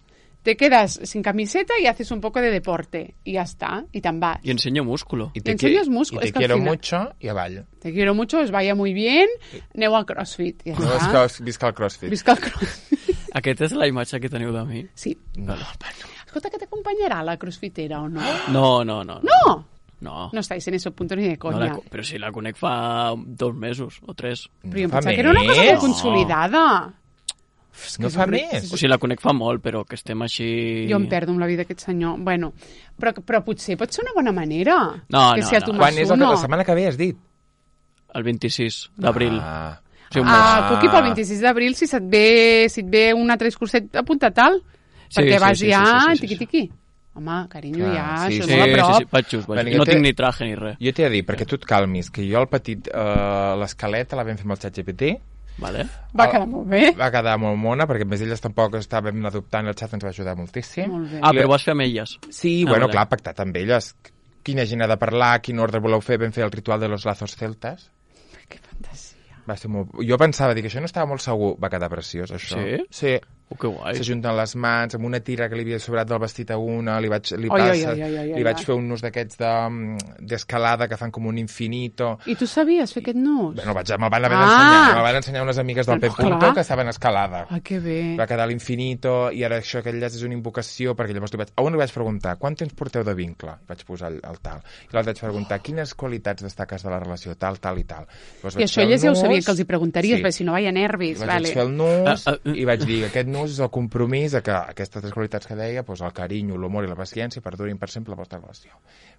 te quedas sin camiseta y haces un poco de deporte. Y ya está, y te'n vas. I ensenyo músculo. I te ensenyes múscul, I te és que al quiero final- mucho i avall. Te quiero mucho, os vaya muy bien, aneu al CrossFit. Ja No és està. que visca el CrossFit. Visca el CrossFit. Aquesta és la imatge que teniu de mi? Sí. No, Escolta, que t'acompanyarà la crossfitera o no? No, no, no. No! No, No estáis en ese punto ni de no coña. la, co- però si la conec fa dos mesos o tres. Però jo em fa pensava que era una cosa més. molt consolidada. No fa més. O sigui, la conec fa molt, però que estem així... Jo em perdo amb la vida d'aquest senyor. Bueno, però, però potser pot ser una bona manera. No, que no, si a no. tu Quan és el, uno. la setmana que ve, has dit? El vint-i-sis d'abril. Ah. O sigui, un mes. Ah, Cuqui, pel vint-i-sis d'abril, si se't ve, si et ve un altre discurset, apunta tal. Sí, perquè sí, vas sí, ja sí, sí, sí, sí. tiqui-tiqui. Home, carinyo, Clar, ja, sí, això Sí, és molt a sí, prop. sí, vaig just, vaig Bueno, just. jo No té- tinc ni traje ni res. Jo t'he de dir, perquè tu et calmis, que jo el petit, eh, l'esqueleta la vam fer amb el xat G P T, Vale? Va quedar molt bé. va quedar molt mona, perquè a més elles tampoc estàvem adoptant, el xat ens va ajudar moltíssim. Molt bé. Ah, però ho vas fer amb elles. Sí, Ah, bueno, vale. clar, pactat amb elles. Quina gent ha de parlar, quin ordre voleu fer, vam fer el ritual de los lazos celtas. Que fantasia. Va ser molt... Jo pensava, dic, això no estava molt segur, va quedar preciós, això. Sí? Sí. Oh, que guai. S'ajunten les mans, amb una tira que li havia sobrat del vestit a una, li vaig, li Oi, passa, oi, oi, oi, oi, li oi, vaig oi. fer un nus d'aquests de- d'escalada que fan com un infinito. I tu sabies fer aquest nus? Bueno, vaig, me'l van haver Ah! d'ensenyar, me'l van ensenyar unes amigues del Però, P. Punto clar. que saben escalada. Ah, que bé. Va quedar l'infinito, i ara això, aquell llaç és una invocació, perquè llavors li vaig, a un li vaig preguntar, quant temps porteu de vincle? I vaig posar el, el tal. I l'altre vaig preguntar, quines qualitats destaques de la relació, tal, tal i tal. Llavors I vaig això fer el elles ja ho nus, sabien que els hi preguntaries, sí. perquè si no vaya nervis. I vaig Vale. fer el nus Ah, ah, i vaig dir, aquest nus és el compromís de que aquestes tres qualitats que deia, doncs el carinyo, l'humor i la paciència perdurin per sempre la vostra relació.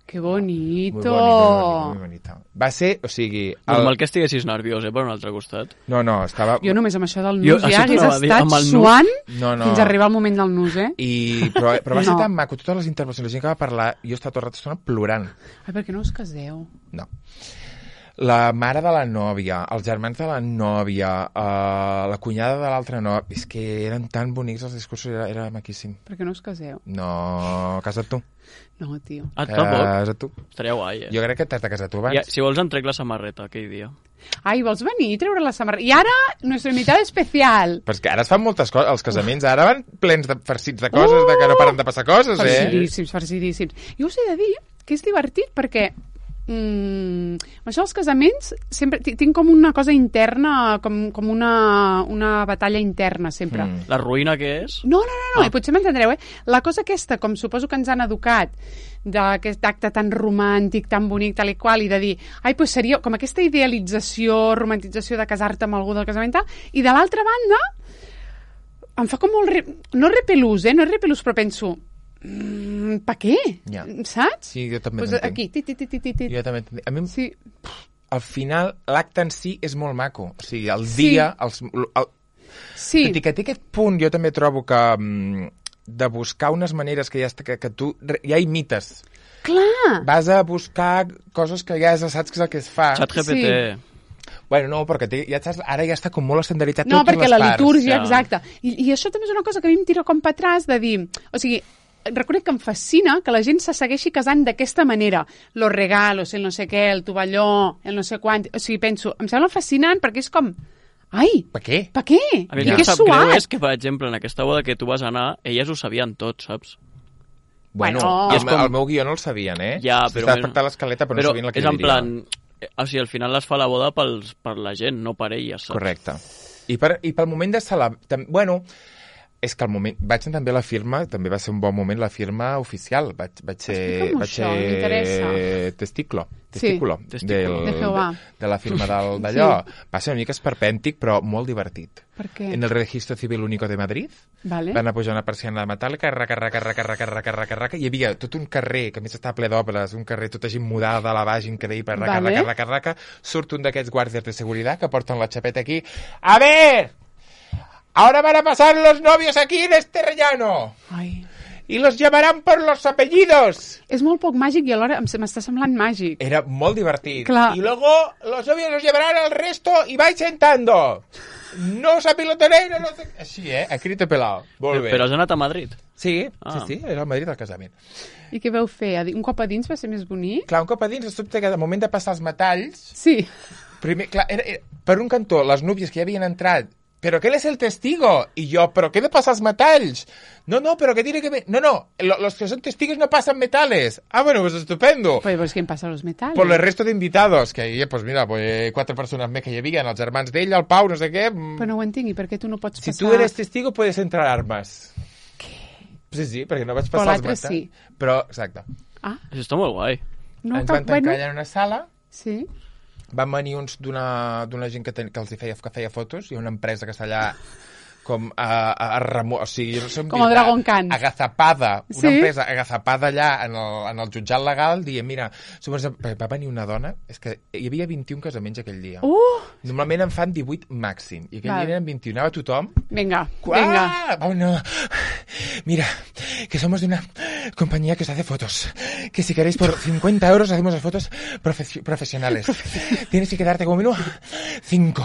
Que Muy bonito. bonito, muy bonito. Va ser, o sigui... Normal que estiguessis nerviós, eh, per un altre costat. No, no, estava... Jo només amb això del Jo- nus això ja hagués t'anava a dir, estat amb el nus. suant No, no. fins a arribar al moment del nus, eh? I, però, però va ser No. tan maco, totes les intervencions, la gent que va parlar, jo estava tot el rato plorant. Ai, per què no us caseu? No. La mare de la nòvia, els germans de la nòvia, uh, la cunyada de l'altra nòvia... És que eren tan bonics els discursos, era, era maquíssim. Per què no us caseu? No, casa't tu. No, tio. Ah, tampoc? Casa't tu. Estaria guai, eh? Jo crec que t'has de casar tu abans. Ja, si vols em trec la samarreta aquell dia. Ai, vols venir i treure la samarreta? I ara, nuestro invitado especial. Però és que ara es fan moltes coses, els casaments ara van plens de farcits de coses, de que no paren de passar coses, eh? Farcidíssims, farcidíssims. Jo us he de dir que és divertit perquè mm, amb això dels casaments sempre ti- tinc com una cosa interna, com, com una, una batalla interna sempre. Mm. La ruïna que és? No, no, no, no Ah. i potser m'entendreu, eh? La cosa aquesta, com suposo que ens han educat d'aquest acte tan romàntic, tan bonic, tal i qual, i de dir, ai, pues seria com aquesta idealització, romantització de casar-te amb algú del casament, tal, i de l'altra banda, em fa com molt... Re... No repelús, eh? No és repelús, però penso, mm, pa què? Ja. Saps? Sí, jo també Pues t'entenc. aquí, ti, ti, ti, ti, ti, ti. Jo també t'entenc. A mi, Sí. al final, l'acte en si és molt maco. O sigui, el Sí. dia... Els, el, Sí. Tot i que té aquest punt, jo també trobo que mm, de buscar unes maneres que ja està, que, que tu re- ja imites. Clar. Vas a buscar coses que ja saps que és el que es fa. Xat G P T. Bueno, no, perquè té, ja saps, ara ja està com molt estandarditzat No, totes perquè les la parts. litúrgia, ja. exacte. I, I això també és una cosa que a mi em tira com per atràs de dir... O sigui, reconec que em fascina que la gent se segueixi casant d'aquesta manera. Los regalos, el no sé què, el tovalló, el no sé quant... O sigui, penso, em sembla fascinant perquè és com... Ai, Per què? per què? A mi I el que que em és sap greu suat. és que, per exemple, en aquesta boda que tu vas anar, elles ho sabien tot, saps? Bueno, Bueno. el, I és com- el meu guió no el sabien, eh? Ja, Si però... Estava bueno, pactant l'escaleta, però, no sabien la que és hi en hauria. plan... eh, O sigui, al final les fa la boda pels, per la gent, no per elles, saps? Correcte. I, per, i pel moment de celebrar... Bueno, És que al moment... Vaig anar també a la firma, també va ser un bon moment la firma oficial. Vaig, vaig ser... Explica'm Vaig això, ser m'interessa. testiclo. Sí. Testículo. Testículo. Del, De Jehovà. de, de la firma del, d'allò. Sí. Va ser una mica esperpèntic, però molt divertit. Per què? En el Registro Civil Único de Madrid Vale. van a pujar una persiana metàl·lica, raca, raca, raca, raca, raca, raca, raca, i hi havia tot un carrer, que a més estava ple d'obres, un carrer tota gent mudada de la baix, increïble, raca, Vale. raca, raca, raca, surt un d'aquests guàrdies de seguretat que porten la xapeta aquí. A ver, ahora van a pasar los novios aquí en este rellano Ai. y los llamarán por los apellidos. És molt poc màgic i alhora em- se m'està semblant màgic. Era molt divertit. Clar. Y luego los novios los llevarán al resto y vais sentando. No os apilotonéis, no sé... Així, eh? A crito pelado. Molt bé. Però has anat a Madrid. Sí, Ah. sí, sí, era al Madrid el casament. I què veu fer? A di- Un cop a dins va ser més bonic? Clar, un cop a dins, es sobte que al moment de passar els metalls, Sí. primer, clar, era, era, per un cantó, les núvies que ja havien entrat, però que él es el testigo. I jo, però què de passar els metalls? No, no, però que tiene que ver... No, no, lo, los que son testigos no pasan metales. Ah, bueno, pues estupendo. Pues, pues ¿quién pasa los metales? Por el resto de invitados, que ahí, pues mira, pues quatre persones més que hi havia, els germans d'ell, el Pau, no sé què... mm. Però no ho entenc, i per què tu no pots Si passar... tu eres testigo, puedes entrar armes. Què? Sí, sí, perquè no vaig Però passar els l'altre metalls. sí. Però, exacte. Ah, Això està molt guai. no, Ens però, van tancar bueno... allà en una sala, Sí. van venir uns d'una d'una gent que, ten, que els hi feia, que feia fotos, i una empresa que està allà com a, a, a remo... O sigui, jo no sé on Com a dir, Dragon Khan. agazapada, una Sí? empresa agazapada allà en el, en el jutjat legal, dient, mira, somos... va venir una dona, és que hi havia vint-i-un casaments aquell dia. Uh! Normalment en fan divuit màxim, i aquell Val. dia eren vint-i-un, anava tothom... Vinga, ¡Guau! vinga. Vámonos. Mira, que somos de una compañía que os hace fotos. Que si queréis por cincuenta euros hacemos las fotos profe- profesionales. Tienes que quedarte como mínimo cinco.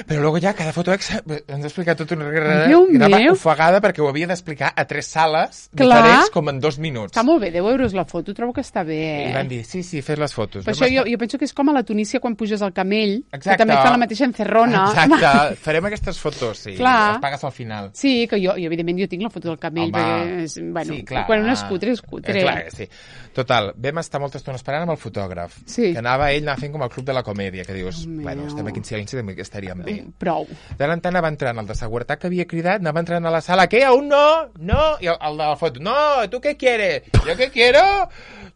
Però luego ja cada foto ex ens ha explicat tot una guerra Déu que anava meu. ofegada perquè ho havia d'explicar a tres sales Clar. diferents com en dos minuts. Està molt bé, deu euros la foto, trobo que està bé. I van dir, sí, sí, fes les fotos. Per No això jo, m'està- jo penso que és com a la Tunísia quan puges al camell, Exacte. que també fa la mateixa encerrona. Exacte, farem aquestes fotos, sí. Clar. Les pagues al final. Sí, que jo, jo evidentment jo tinc la foto del camell, Home, perquè és, bueno, sí, clar. quan un és cutre, és cutre. Eh, clar, sí. Total, vam estar molta estona esperant amb el fotògraf. Sí. Que anava, ell anava fent com el club de la comèdia, que dius, Déu bueno, meu. estem aquí en silenci, també estaríem bé. Prou. De l'en tant anava entrant el de seguretat que havia cridat, anava entrant a la sala, què, aún no? No? I el, el de la foto, no, ¿tú qué quieres? ¿Yo qué quiero?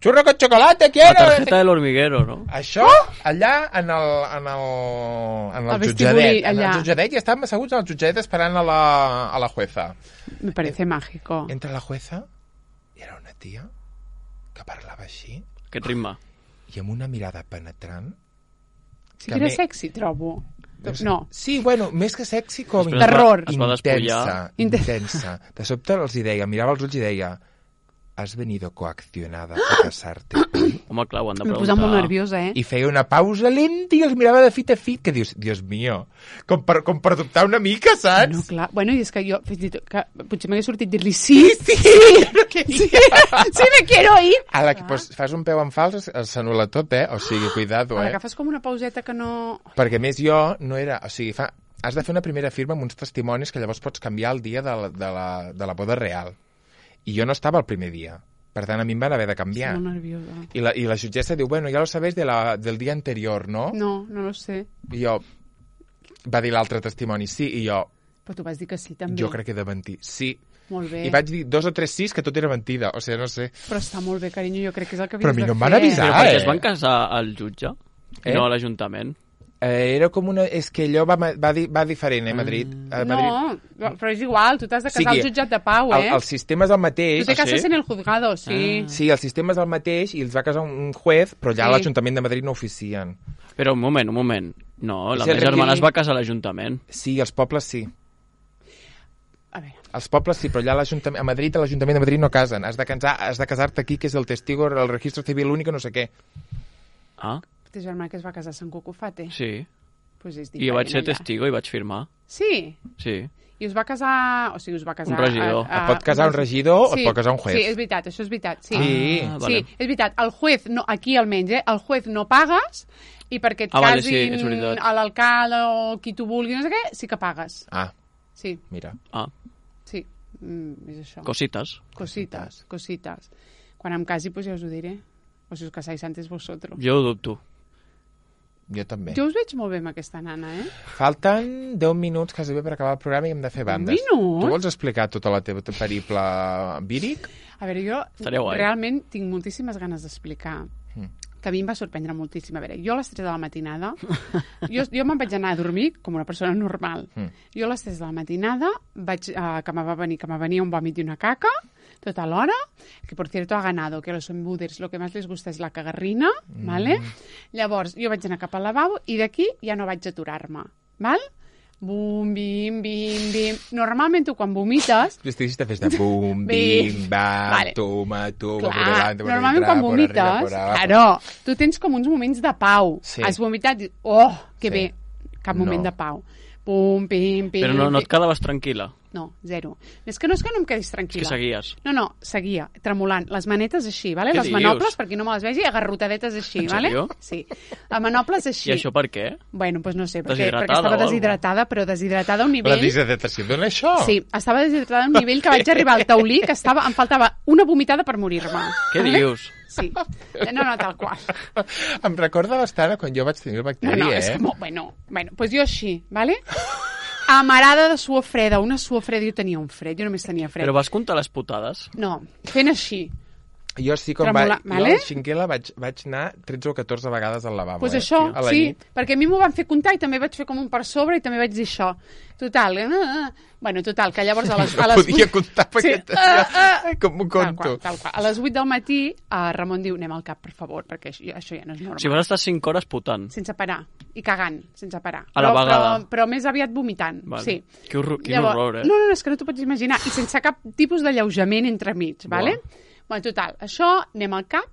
Churro con chocolate, La quiero. tarjeta del hormiguero, no? Això, allà, en el, en el, en el Al vestibuli, jutjadet. En allà. el jutjadet, i estàvem asseguts al jutjadet esperant a la, a la jueza. Me parece mágico. Entra la jueza i era una tia que parlava així Aquest ritme. i amb una mirada penetrant. Sí que que era me- sexy, trobo. No. Sí, bueno, més que sexy, com Després es va- Terror. es va intensa, despullar. intensa. De sobte els hi deia, mirava els ulls i deia, has venido coaccionada a casarte. Home, clar, ho han de Em preguntar. posa molt nerviosa, eh? I feia una pausa lenta i els mirava de fit a fit, que dius, Dios mío, com per, com per dubtar una mica, saps? No, clar. Bueno, i és que jo, fins i tot, que potser m'hagués sortit dir-li sí, sí, sí, sí, sí, me quiero ir. A la que pues, fas un peu en fals, s'anul·la tot, eh? O sigui, cuidado, A la eh? que fas com una pauseta que no... Perquè, a més, jo no era... O sigui, fa, has de fer una primera firma amb uns testimonis que llavors pots canviar el dia de la, de la, de la boda real. I jo no estava el primer dia. Per tant, a mi em van haver de canviar. Estic molt nerviosa. I la, I la jutgessa diu, bueno, ya lo sabéis de la, del dia anterior, no? No, no lo sé. I jo... Va dir l'altre testimoni, sí, i jo... Però tu vas dir que sí, també. Jo crec que he de mentir, sí. Molt bé. I vaig dir dos o tres sís que tot era mentida, o sigui, no sé. Però està molt bé, carinyo, jo crec que és el que Però a havies mi no de em van fer. avisar. Però perquè eh? es van casar al jutge, Eh? no a l'Ajuntament. Eh, era com una... És que allò va, va, di, va diferent, eh, Madrid. A Madrid. No, però és igual, tu t'has de casar Sigui, al jutjat de pau, eh? El, el sistema és el mateix. Tu te Ah, sí? cases en el juzgado, sí. Sí, el sistema és el mateix i els va casar un juez, però ja Sí. l'Ajuntament de Madrid no oficien. Però un moment, un moment. No, la És el meva germana requerir- es va casar a l'Ajuntament. Sí, els pobles sí. A veure, Els pobles sí, però allà a l'Ajuntament, a Madrid, a l'Ajuntament de Madrid no casen. Has de, casar, has de casar-te aquí, que és el testigo, el registro civil únic, no sé què. Ah, té germà que es va casar a Sant Cucufate. sí. Pues és I jo vaig ser diferent, allà. testigo i vaig firmar. Sí? Sí. I us va casar... O sigui, us va casar... Un regidor. Et pot casar un regidor o et pot casar un juez. Sí, és veritat, això és veritat. Sí, Sí. Ah, vale. sí és veritat. El juez, no, aquí almenys, eh? El juez no pagues i perquè et Ah, vale, sí, casin és veritat. a l'alcalde o qui tu vulguis, no sé què, sí que pagues. Ah, Sí, mira. Ah, sí. Mm, és això. cositas. Cositas, cositas. Quan em casi, pues ja us ho diré. O si us casáis antes vosotros. Jo ho dubto. Jo també. Jo us veig molt bé amb aquesta nana, eh? Falten deu minuts quasi bé per acabar el programa i hem de fer bandes. minuts? Tu vols explicar tota la teva periple víric? A veure, jo Estaria guai. realment tinc moltíssimes ganes d'explicar, Mm. que a mi em va sorprendre moltíssim. A veure, jo a les tres de la matinada, jo, jo me'n vaig anar a dormir com una persona normal. Mm. Jo a les tres de la matinada, vaig, eh, que me va venir, que me venia un vòmit i una caca, tota l'hora, que por cierto ha ganado, que a los embuders lo que más les gusta es la cagarrina, mm. ¿vale? Llavors, jo vaig anar cap al lavabo i d'aquí ja no vaig aturar-me, val? Bum, bim, bim, bim... Normalment tu quan vomites... Tu estiguis de festa, bum, bim, bam, vale. toma, toma, Clar, por delante, por normalment detrás, quan por vomites, arriba, por abajo. claro, tu tens com uns moments de pau. Sí. Has vomitat i, oh, que Sí. bé, cap No. moment de pau. Pum, pim, pim... Però no, no et pim. quedaves tranquil·la. No, zero. És que no és que no em quedis És tranquil·la. que seguies. No, no, seguia, tremolant. Les manetes així, vale? Què Les dius? manoples, per qui no me les vegi, agarrotadetes així, En vale? sèrio? Sí. Les manoples així. I això per què? Bueno, doncs no sé, perquè, Deshidratada perquè estava o algo? deshidratada, però deshidratada a un La nivell... deshidratació dona això? Sí, estava deshidratada a un nivell que vaig arribar al taulí, que estava, em faltava una vomitada per morir-me. Què dius? Sí. No, no, tal qual. Em recorda bastant a quan jo vaig tenir el No, bacteri, no, eh? és que, mo- bueno, bueno, pues jo així, ¿vale? Amarada de suor freda, una suor freda, jo tenia un fred, jo només tenia fred. Però vas comptar les putades? No, fent així. Jo sí, com Tremolar, vaig... vale? Jo a la Xinquela vaig, vaig anar tretze o catorze vegades al lavabo, Pues eh? això, A la sí, nit. perquè a mi m'ho van fer comptar i també vaig fer com un per sobre i també vaig dir això. Total, eh, eh, bueno, total, que llavors a les, a les Podia vuit- comptar perquè Sí, tenia... ah, ah. Com ho Tal conto. qual, tal qual. A les vuit del matí, eh, Ramon diu, anem al cap, per favor, perquè això, això ja no és normal. O sigui, vas estar cinc hores putant. Sense parar, i cagant, sense parar. A la però, vegada. Però, però més aviat vomitant, Vale. sí. Que horror, quin Llavors, horror, eh? No, no, és que no t'ho pots imaginar. I sense cap tipus d'alleujament entremig, vale? Bueno, total, això, anem al cap,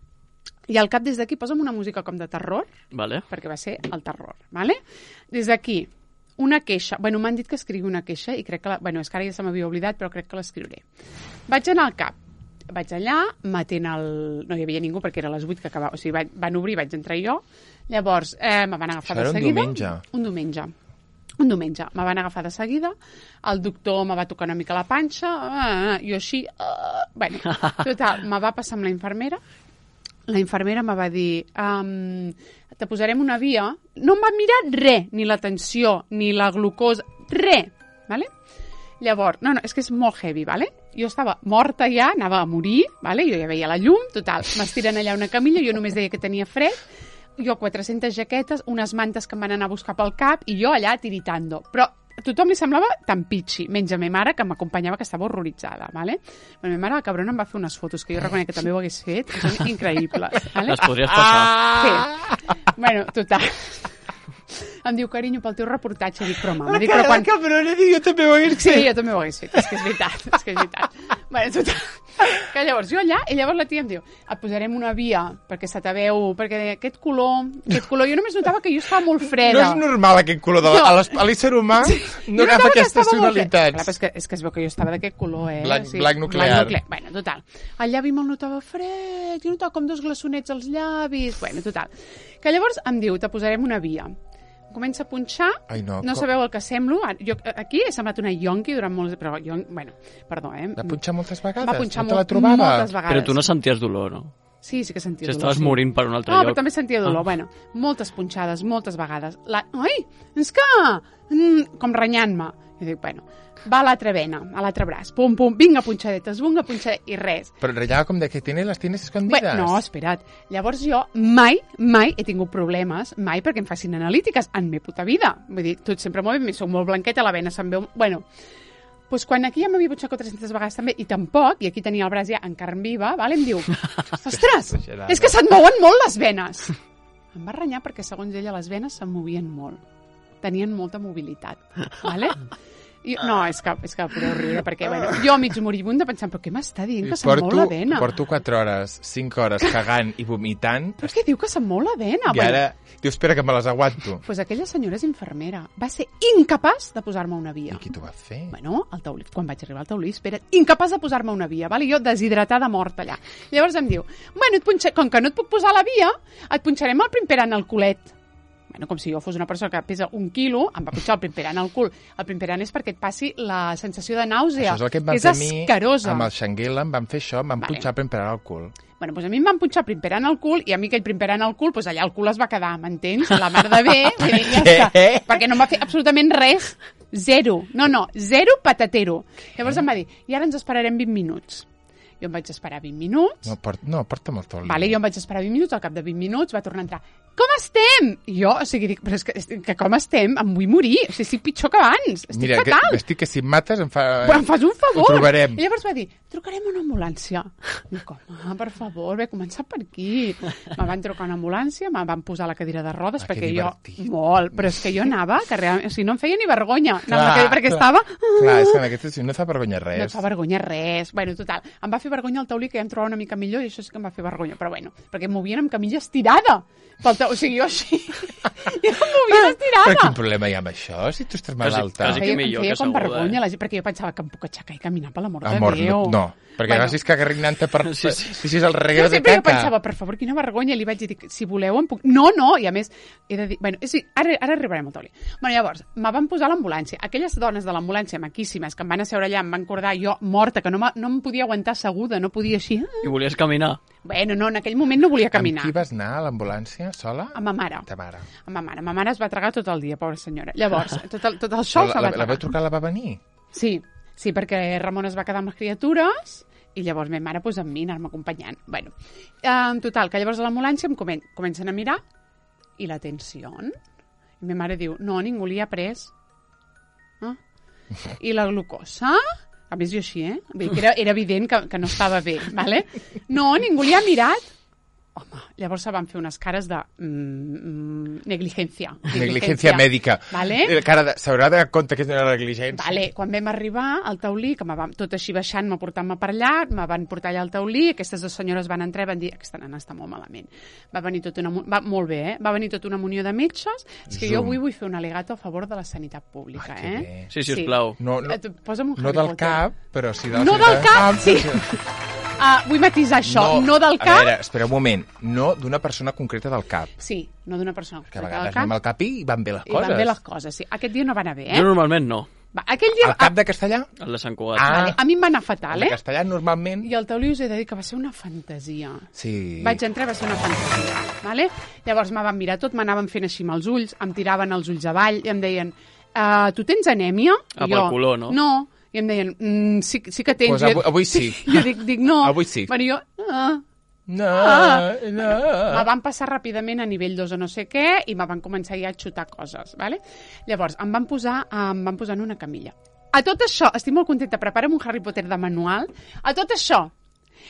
i al cap des d'aquí posa'm una música com de terror, Vale. perquè va ser el terror, vale? Des d'aquí, una queixa. Bueno, m'han dit que escrigui una queixa i crec que... La... Bueno, és que ara ja se m'havia oblidat, però crec que l'escriuré. Vaig anar al cap. Vaig allà, m'atén el... No hi havia ningú perquè era a les vuit que acabava. O sigui, van, van obrir, vaig entrar jo. Llavors, eh, me van agafar Això era de un seguida. diumenge. Un diumenge. Un diumenge. Me van agafar de seguida. El doctor me va tocar una mica la panxa. Ah, jo així... Ah, bueno, total, me va passar amb la infermera. La infermera me va dir, um, te posarem una via. No em va mirar res, ni la tensió, ni la glucosa, res, ¿vale? Llavors, no, no, és que és molt heavy, ¿vale? Jo estava morta ja, anava a morir, ¿vale? Jo ja veia la llum, total, m'estiren allà una camilla, jo només deia que tenia fred, jo quatre-centes jaquetes, unes mantes que em van anar a buscar pel cap, i jo allà tiritando. Però a tothom li semblava tan pitxi, menys a ma mare, que m'acompanyava, que estava horroritzada, ¿vale? Bueno, ma mare, la cabrona, em va fer unes fotos, que jo reconec que també ho hagués fet, que són increïbles, ¿vale? Les podries passar. Sí. Bueno, total. Em diu, carinyo, pel teu reportatge. Dic, però mama, dic, però quan... cabrona, dic, jo també ho hagués Sí, jo també ho hagués fet, és que és veritat, és que és veritat. Bueno, total, que llavors jo allà, i llavors la tia em diu, et posarem una via, perquè se te veu, perquè aquest color, aquest color, jo només notava que jo estava molt freda. No és normal aquest color. De la... No. A l'es- a l'ésser humà Sí. no Jo agafa notava que aquestes estava molt freda. Clar, tonalitats. però és que, és que es veu que jo estava d'aquest color, eh? Blanc- blanc nuclear. Blanc nuclear. Bueno, total. El llavi me'l notava fred, jo notava com dos glaçonets als llavis. Bueno, total. Que llavors em diu, te posarem una via. Comença a punxar, Ai, no, no com- sabeu el que semblo. Jo, aquí he semblat una yonqui durant molts... Però, jo, bueno, perdó, eh? Va punxar moltes vegades? Va punxar no te la molt- trobava? moltes vegades. Però tu no senties dolor, no? Sí, sí que sentia Si dolor. estaves sí. morint per un altre no, lloc. però també sentia dolor. Ah. Bueno, moltes punxades, moltes vegades. La... Ai, és que... Mm, com renyant-me. I dic, bueno, va a l'altra vena, a l'altre braç. Pum, pum, vinga punxadetes, vinga punxadetes, i res. Però ratllava com de que tienes les tienes escondides. Bé, no, espera't. Llavors jo mai, mai he tingut problemes, mai perquè em facin analítiques en mi puta vida. Vull dir, tot sempre molt bé, soc molt blanqueta, la vena se'm veu... Bueno, doncs quan aquí ja m'havia punxat quatre-centes vegades també, i tampoc, i aquí tenia el braç ja en carn viva, vale? Em diu, ostres, Exagerada. és que se't mouen molt les venes. Em va renyar perquè, segons ella, les venes se'm movien molt. Tenien molta mobilitat, vale? I, no, és que, és que podeu riure, perquè, bueno, jo mig moribunda pensant, però què m'està dient, que se'm mou la vena? Porto quatre hores, cinc hores cagant i vomitant. Però què diu que se'm mou la vena? I ara, diu, espera que me les aguanto. Pues aquella senyora és infermera. Va ser incapaç de posar-me una via. I qui t'ho va fer? Bueno, al taulí, quan vaig arribar al taulí, espera, incapaç de posar-me una via, vale? Jo deshidratada morta allà. Llavors em diu, bueno, et punxa... com que no et puc posar la via, et punxarem el primper en el culet. bueno, com si jo fos una persona que pesa un quilo, em va punxar el primperant al cul. El primperant és perquè et passi la sensació de nàusea, Això és el que em van és fer a mi, asquerosa. amb el Xanguila, em van fer això, em van Vale. punxar primperant al cul. Bueno, doncs a mi em van punxar primperant al cul i a mi aquell primperant al cul, doncs allà el cul es va quedar, m'entens? La mar de bé, vull dir, ja Què? està. Perquè no em va fer absolutament res, zero. No, no, zero patatero. Llavors em va dir, i ara ens esperarem vint minuts. Jo em vaig esperar vint minuts. No, port, no porta'm el toli. Vale, jo em vaig esperar vint minuts, al cap de vint minuts va tornar a entrar. Com estem? I jo, o sigui, dic, però és que, que com estem? Em vull morir. O sigui, estic pitjor que abans. Estic Mira, fatal. que, estic que si em mates em fa... Però em fas un favor. Ho trobarem. I llavors va dir, trucarem una ambulància. Dic, home, per favor, ve començar per aquí. Me van trucar una ambulància, me van posar la cadira de rodes, Ah, que perquè jo... divertit. Molt, però és que jo anava, que realment, o sigui, no em feia ni vergonya. Anar amb la Clar, cadira, perquè clar. estava... Clar, és que en aquesta situació no et fa vergonya res. No et fa vergonya res. Bueno, total, em va fer vergonya el taulí, que ja em trobava una mica millor, i això sí que em va fer vergonya. Però bueno, perquè em movien amb camilla estirada. Pel ta... O sigui, jo així... jo em movia estirada. Però quin problema hi ha amb això, si tu estàs malalta? quasi Em feia, millor em feia que com asseguda, vergonya, eh? la gent, perquè jo pensava que em puc aixecar i caminar per l'amor de Amor, Déu. no, no, perquè Bueno. gràcies que agarrinant-te per... Sí, sí. Si és el Jo regueu de sempre jo caca. pensava, per favor, quina vergonya, i li vaig dir, si voleu em puc... No, no, i a més, he de dir... Bueno, sí, ara, ara arribarem al taulí. Bueno, llavors, me van posar a l'ambulància. Aquelles dones de l'ambulància, maquíssimes, que em van asseure allà, em van cordar jo morta, que no, me, no em podia aguantar asseguda, no podia així... I volies caminar. Bueno, no, en aquell moment no volia caminar. Amb qui vas anar a l'ambulància, sola? Amb ma mare. Ta mare. Amb ma mare. Ma mare es va tragar tot el dia, pobra senyora. Llavors, tot el, tot el show la, se la, va la tragar. vau trucar, la va venir? Sí, sí, perquè Ramon es va quedar amb les criatures i llavors ma mare pues, amb mi, anar-me acompanyant. Bueno, en total, que llavors a l'ambulància em comen comencen a mirar i la tensió. I ma mare diu, no, ningú li ha pres. Ah? I la glucosa? A més, jo així, eh? Vull dir que era, era evident que, que no estava bé, ¿vale? No, ningú li ha mirat. Home, llavors se van fer unes cares de mm, negligència. Negligència mèdica. Vale? Eh, Cara, s'haurà de dar compte que és una negligència. Vale, quan vam arribar al taulí, que me va, tot així baixant, me portant-me per allà, me van portar allà al taulí, aquestes dues senyores van entrar i van dir, aquesta nena està molt malament. Va venir tot una, va, molt bé, eh? Va venir tota una munió de metges. És que jo Zoom. avui vull fer un al·legato a favor de la sanitat pública, Ah, que eh? bé. Sí, si us plau. No, no, Et- Posa'm un no Harry del Potter. cap, però sí de la No sanitat. del cap, Ah, sí. però Uh, vull matisar això, no, del A cap. veure, espera un moment. No d'una persona concreta del cap. Sí, no d'una persona Que a concreta vegades del anem cap. al cap i van bé les I coses. van bé les coses, sí. Aquest dia no va anar bé, eh? Jo normalment no. Va, aquell dia... El cap de castellà? El de Sant Cugat. Ah. Vale, a mi em va anar El fatal, de eh? castellà normalment... I el taulí us he de dir que va ser una fantasia. Sí. Vaig entrar i va ser una fantasia, vale? Llavors me van mirar tot, m'anaven fent així amb els ulls, em tiraven els ulls avall i em deien, uh, tu tens anèmia? Ah, I pel jo, color, no? No. I em deien, mm, sí, sí que tens. Pues avui, avui sí. Jo dic, dic no. Avui sí. Bueno, jo, ah. No, Ah. no. Me van passar ràpidament a nivell dos o no sé què i me van començar ja a xutar coses, vale? Llavors, em van posar, em van posar en una camilla. A tot això, estic molt contenta, prepara'm un Harry Potter de manual. A tot això,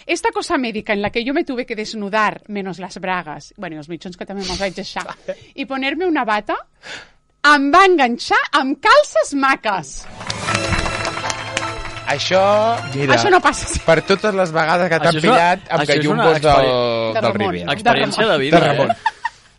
esta cosa médica en la que yo me tuve que desnudar, menos las bragas, bueno, i els mitjons que també me'ls vaig deixar, i ponerme una bata, em va enganxar amb calces maques. Això, mira, Això no passa. Sí. per totes les vegades que t'han Això és una- pillat amb això és una gallumbos del, experi- De del Ramon. Riviera. Experiència de De vida, De Ramon. eh?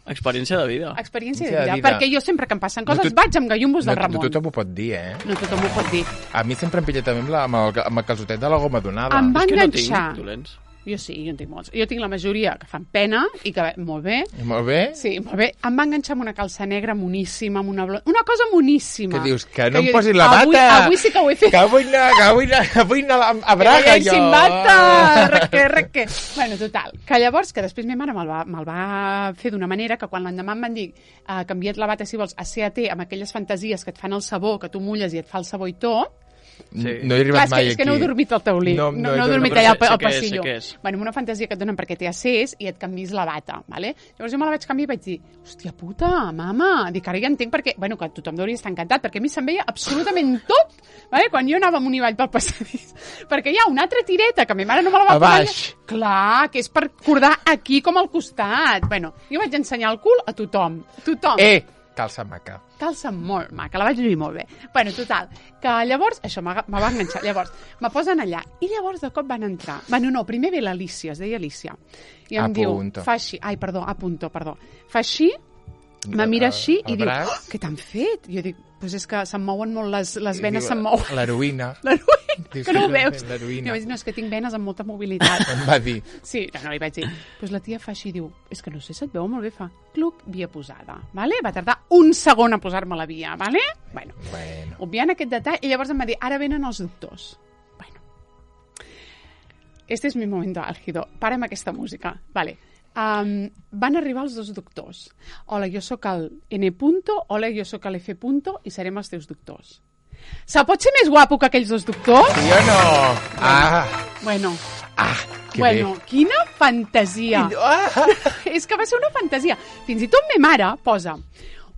Experiència de vida. Experiència Sí, de de vida, vida. perquè jo sempre que em passen coses No tot- vaig amb gallumbos del No, Ramon. no tothom ho pot dir, eh? No tothom ho pot dir. A mi sempre em pilla també amb, la, amb, el, amb el calçotet de la goma donada. Em va És que no enganxar. tinc dolents. Jo sí, jo en tinc molts. Jo tinc la majoria que fan pena i que molt bé. Molt bé? Sí, molt bé. Em va enganxar amb una calça negra moníssima, amb una blonda... Una cosa moníssima. Què dius? Que no jo em posis dic, la bata! Avui, avui sí que ho he fet. Que vull anar, que vull anar, vull anar a, a Braga, que jo! sin bata! Reque, reque. Bueno, total. Que llavors, que després ma mare me'l va, me va fer d'una manera que quan l'endemà em van dir uh, canvia't la bata, si vols, a C A T, amb aquelles fantasies que et fan el sabó, que tu mulles i et fa el sabó i tot. Sí. No he arribat Clar, és mai que, és que no heu aquí. dormit al taulí. No, no, no he no heu dormit. dormit Però allà al, sé- sé al què és, sé passillo. què és. Bueno, amb una fantasia que et donen perquè t'hi assés i et canvis la bata, ¿vale? Llavors jo me la vaig canviar i vaig dir, hòstia puta, mama, dic, ara ja entenc perquè, bueno, que tothom hauria estar encantat, perquè a mi se'm veia absolutament tot, ¿vale? Quan jo anava amunt i avall pel passadís. Perquè hi ha una altra tireta que ma mare no me la va A posar. baix. Clar, que és per cordar aquí com al costat. Bueno, jo vaig ensenyar el cul a tothom. Tothom. Eh, calça maca. Calça molt maca, la vaig lluir molt bé. Bueno, total, que llavors, això me me va enganxar, llavors, me posen allà, i llavors de cop van entrar, bueno, no, primer ve l'Alicia, es deia Alicia, i em A diu, punto. fa així, ai, perdó, a punto, perdó, fa així, me mira així El i diu, braç. oh, què t'han fet? Jo dic, doncs és que se'm mouen molt les, les venes, se'm mouen. L'heroïna. L'heroïna. que no ho veus. I L'heroïna. vaig dir, no, és que tinc venes amb molta mobilitat. Em va dir. Sí, no, no, li vaig dir. Pues la tia fa així, diu, és que no sé, se't veu molt bé, fa cluc, via posada, vale? Va tardar un segon a posar-me la via, vale? Bueno, Bueno. obviant aquest detall, i llavors em va dir, ara venen els doctors. Bueno, este és mi momento álgido. Para amb aquesta música. Vale. Um, van arribar els dos doctors. Hola, jo sóc el N punto, hola, jo sóc l'F punto, i serem els teus doctors. Se pot ser més guapo que aquells dos doctors? Sí o no? Ah, Bueno, ah, que bueno, bé. quina fantasia. Ah. És que va ser una fantasia. Fins i tot me mare posa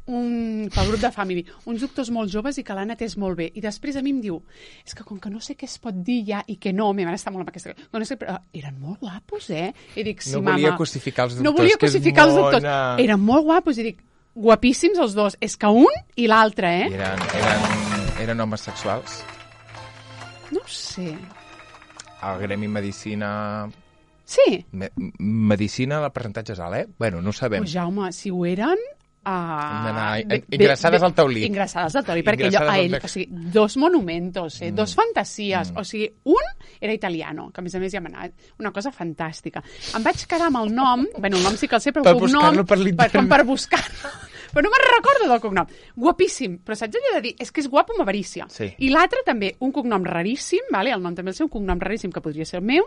un, pel grup de family, uns doctors molt joves i que l'han atès molt bé. I després a mi em diu, és que com que no sé què es pot dir ja i que no, me mare està molt amb aquesta... No sé, però eren molt guapos, eh? I dic, sí, No mama. volia cosificar els doctors, No volia que és cosificar els doctors. mona. Eren molt guapos i dic, guapíssims els dos. És que un i l'altre, I eh? eren, eren, eren homes sexuals. No ho sé. El Gremi Medicina... Sí. Me, medicina, el percentatge és alt, eh? Bueno, no ho sabem. Pues Jaume, si ho eren... Uh, Hem d'anar ingressades al taulí. Ingressades al taulí, perquè allò, Ingressades a al ell, bec. o sigui, dos monumentos, eh, Mm. dos fantasies, Mm. o sigui, un era italiano, que a més a més ja m'ha anat, una cosa fantàstica. Em vaig quedar amb el nom, bueno, el nom sí que el sé, però Per el cognom... buscar-lo per l'internet. com per buscar-lo. Però no me'n recordo del cognom. Guapíssim, però saps allò de dir, és que és guapo amb avarícia. Sí. I l'altre també, un cognom raríssim, vale? El nom també el seu, un cognom raríssim que podria ser el meu,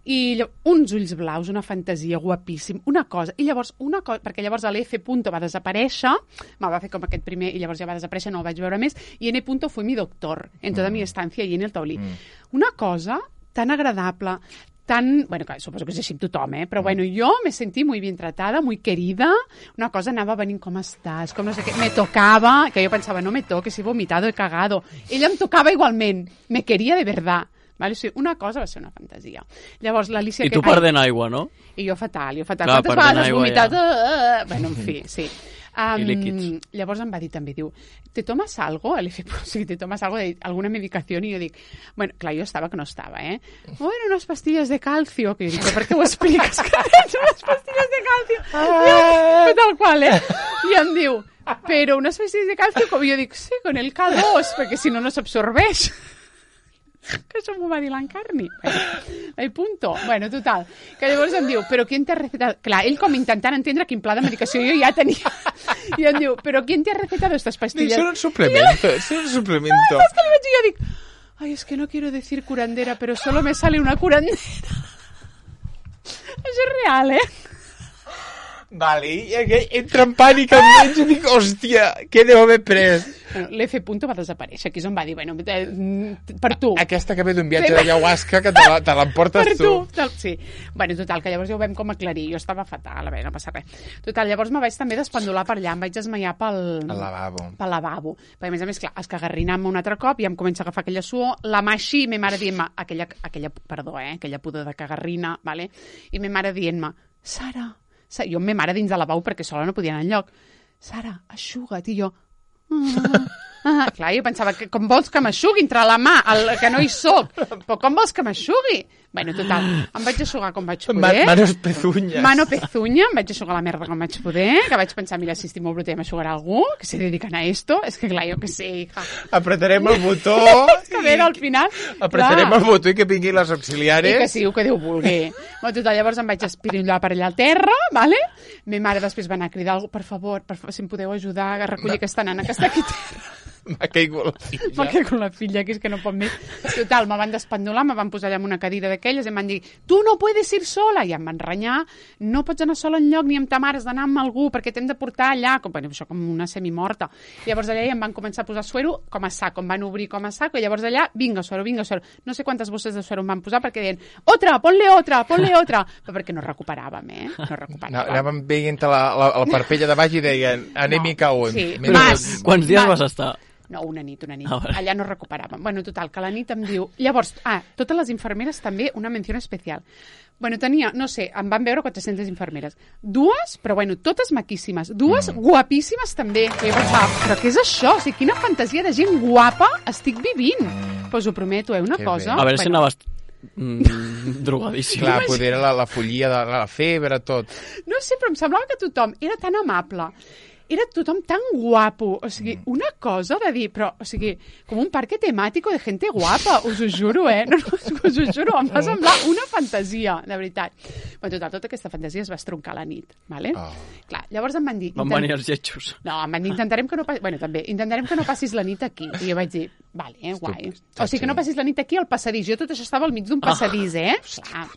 i llavors, uns ulls blaus, una fantasia, guapíssim, una cosa. I llavors, una cosa, perquè llavors l'F punto va desaparèixer, me va fer com aquest primer, i llavors ja va desaparèixer, no el vaig veure més, i N punto fue mi doctor en tota mm. mi estancia allí en el taulí. Mm. Una cosa tan agradable, tan... Bueno, que suposo que és així amb tothom, eh? Però bueno, jo me sentí muy bien tratada, muy querida, una cosa anava venint com estàs, com no sé què, me tocava, que jo pensava, no me toques, he vomitado, he cagado. Ella em tocava igualment, me quería de verdad. Vale? O sigui, una cosa va ser una fantasia. Llavors, l'Alicia... I tu que... perdent aigua, no? I jo fatal, jo fatal. Clar, Quantes perdent vegades has aigua, vomitat? ja. Uh, uh, bueno, en fi, sí. Um, I líquids. Llavors em va dir també, diu, ¿te tomas algo? El F, o sigui, ¿te tomas algo de alguna medicación? I jo dic, bueno, clar, jo estava que no estava, eh? Bueno, unes pastilles de calcio. Que jo dic, per què ho expliques que tens unes pastilles de calcio? Ah. Jo, tal qual, eh? I em diu, però unes pastilles de calcio, com jo dic, sí, con el K dos, perquè si no, no s'absorbeix. Que això m'ho va dir l'Encarni. Bueno, el punto. Bueno, total. Que llavors em diu, però qui te ha recetado... Clar, ell com intentant entendre quin pla de medicació jo ja tenia. I em diu, però qui te ha recetado estas pastillas? Son un suplemento, son un suplemento. És que li vaig dir, jo dic, ay, es que no quiero decir curandera, pero solo me sale una curandera. Això és real, eh? Vale, i aquell entra en pànic al menys i dic, hòstia, què deu haver pres? Bueno, l'F punto va desaparèixer, aquí és on va dir, bueno, eh, per tu. Aquesta que ve d'un viatge d'ayahuasca que te la- te l'emportes Per tu. tu. Tal, sí. Bueno, total, que llavors ja ho vam com aclarir. Jo estava fatal, a veure, no passa res. Total, llavors me vaig també despendolar per allà, em vaig desmaiar pel... Al lavabo. Pel lavabo. Perquè, a més a més, clar, escagarrinant-me un altre cop i em comença a agafar aquella suor, la mà així, i ma mare dient-me, aquella, aquella, perdó, eh, aquella pudor de cagarrina, vale? I ma mare dient-me, Sara, Sara, jo amb ma mare dins de lavabo perquè sola no podia anar enlloc. Sara, aixuga't. I jo... Ah, ah. Clar, jo pensava, que com vols que m'aixugui entre la mà, el, que no hi soc, però com vols que m'aixugui? Bueno, total, em vaig aixugar com vaig Ma poder. manos pezuñas. Mano pezuña, em vaig aixugar la merda com vaig poder, que vaig pensar, mira, si estic molt bruta ja m'aixugarà algú, que se dediquen a esto. És que clar, jo que sé, hija. Apretarem el botó. És que a veure, al final... Apretarem clar, el botó i que vinguin les i auxiliares. que sigui el que Déu vulgui. Bueno, total, llavors em vaig espirillar per allà al terra, vale? Ma mare després va anar a cridar algú, per favor, per favor, si em podeu ajudar a recollir aquesta nana que està aquí a terra. M'ha caigut la filla. M'ha caigut la filla, que és que no pot més. Total, me van despendolar, me van posar allà en una cadira d'aquelles i em van dir, tu no puedes ir sola, i em van renyar, no pots anar sola enlloc ni amb ta mare, has d'anar amb algú perquè t'hem de portar allà, com, bueno, això com una semimorta. I llavors allà em van començar a posar suero com a sac, em van obrir com a sac, i llavors allà, vinga suero, vinga suero. No sé quantes bosses de suero em van posar perquè deien, otra, ponle otra, ponle otra, però perquè no recuperàvem, eh? No No, recuperàvem. anàvem veient la, la, la parpella de baix i deien, anèmica No, un. sí, Menys mas. dos. Quants dies Va. vas estar? No, una nit, una nit. Ah, vale. Allà no recuperàvem. Bueno, total, que la nit em diu... Llavors, ah, totes les infermeres també, una menció especial. Bueno, tenia, no sé, em van veure quatre-centes infermeres. Dues, però bueno, totes maquíssimes. Dues mm. guapíssimes també. Que jo pensava, però què és això? O sigui, quina fantasia de gent guapa estic vivint. Mm. Pues ho prometo, eh, una Que cosa... bé. A veure si bueno, anaves mm, drogadíssim. Clar, poder la, la follia de la febre, tot. No sé, però em semblava que tothom era tan amable era tothom tan guapo, o sigui, una cosa de dir, però, o sigui, com un parque temàtico de gente guapa, us ho juro, eh? No, no, us ho juro, em va semblar una fantasia, de veritat. Però total, tota aquesta fantasia es va estroncar a la nit, vale? Oh. Clar, llavors em van dir... Van intent... venir els lletjos. No, em van dir, intentarem que no passis... Bueno, també, intentarem que no passis la nit aquí. I jo vaig dir, vale, eh, guai. O sigui, que no passis la nit aquí al passadís. Jo tot això estava al mig d'un passadís, eh? Clar.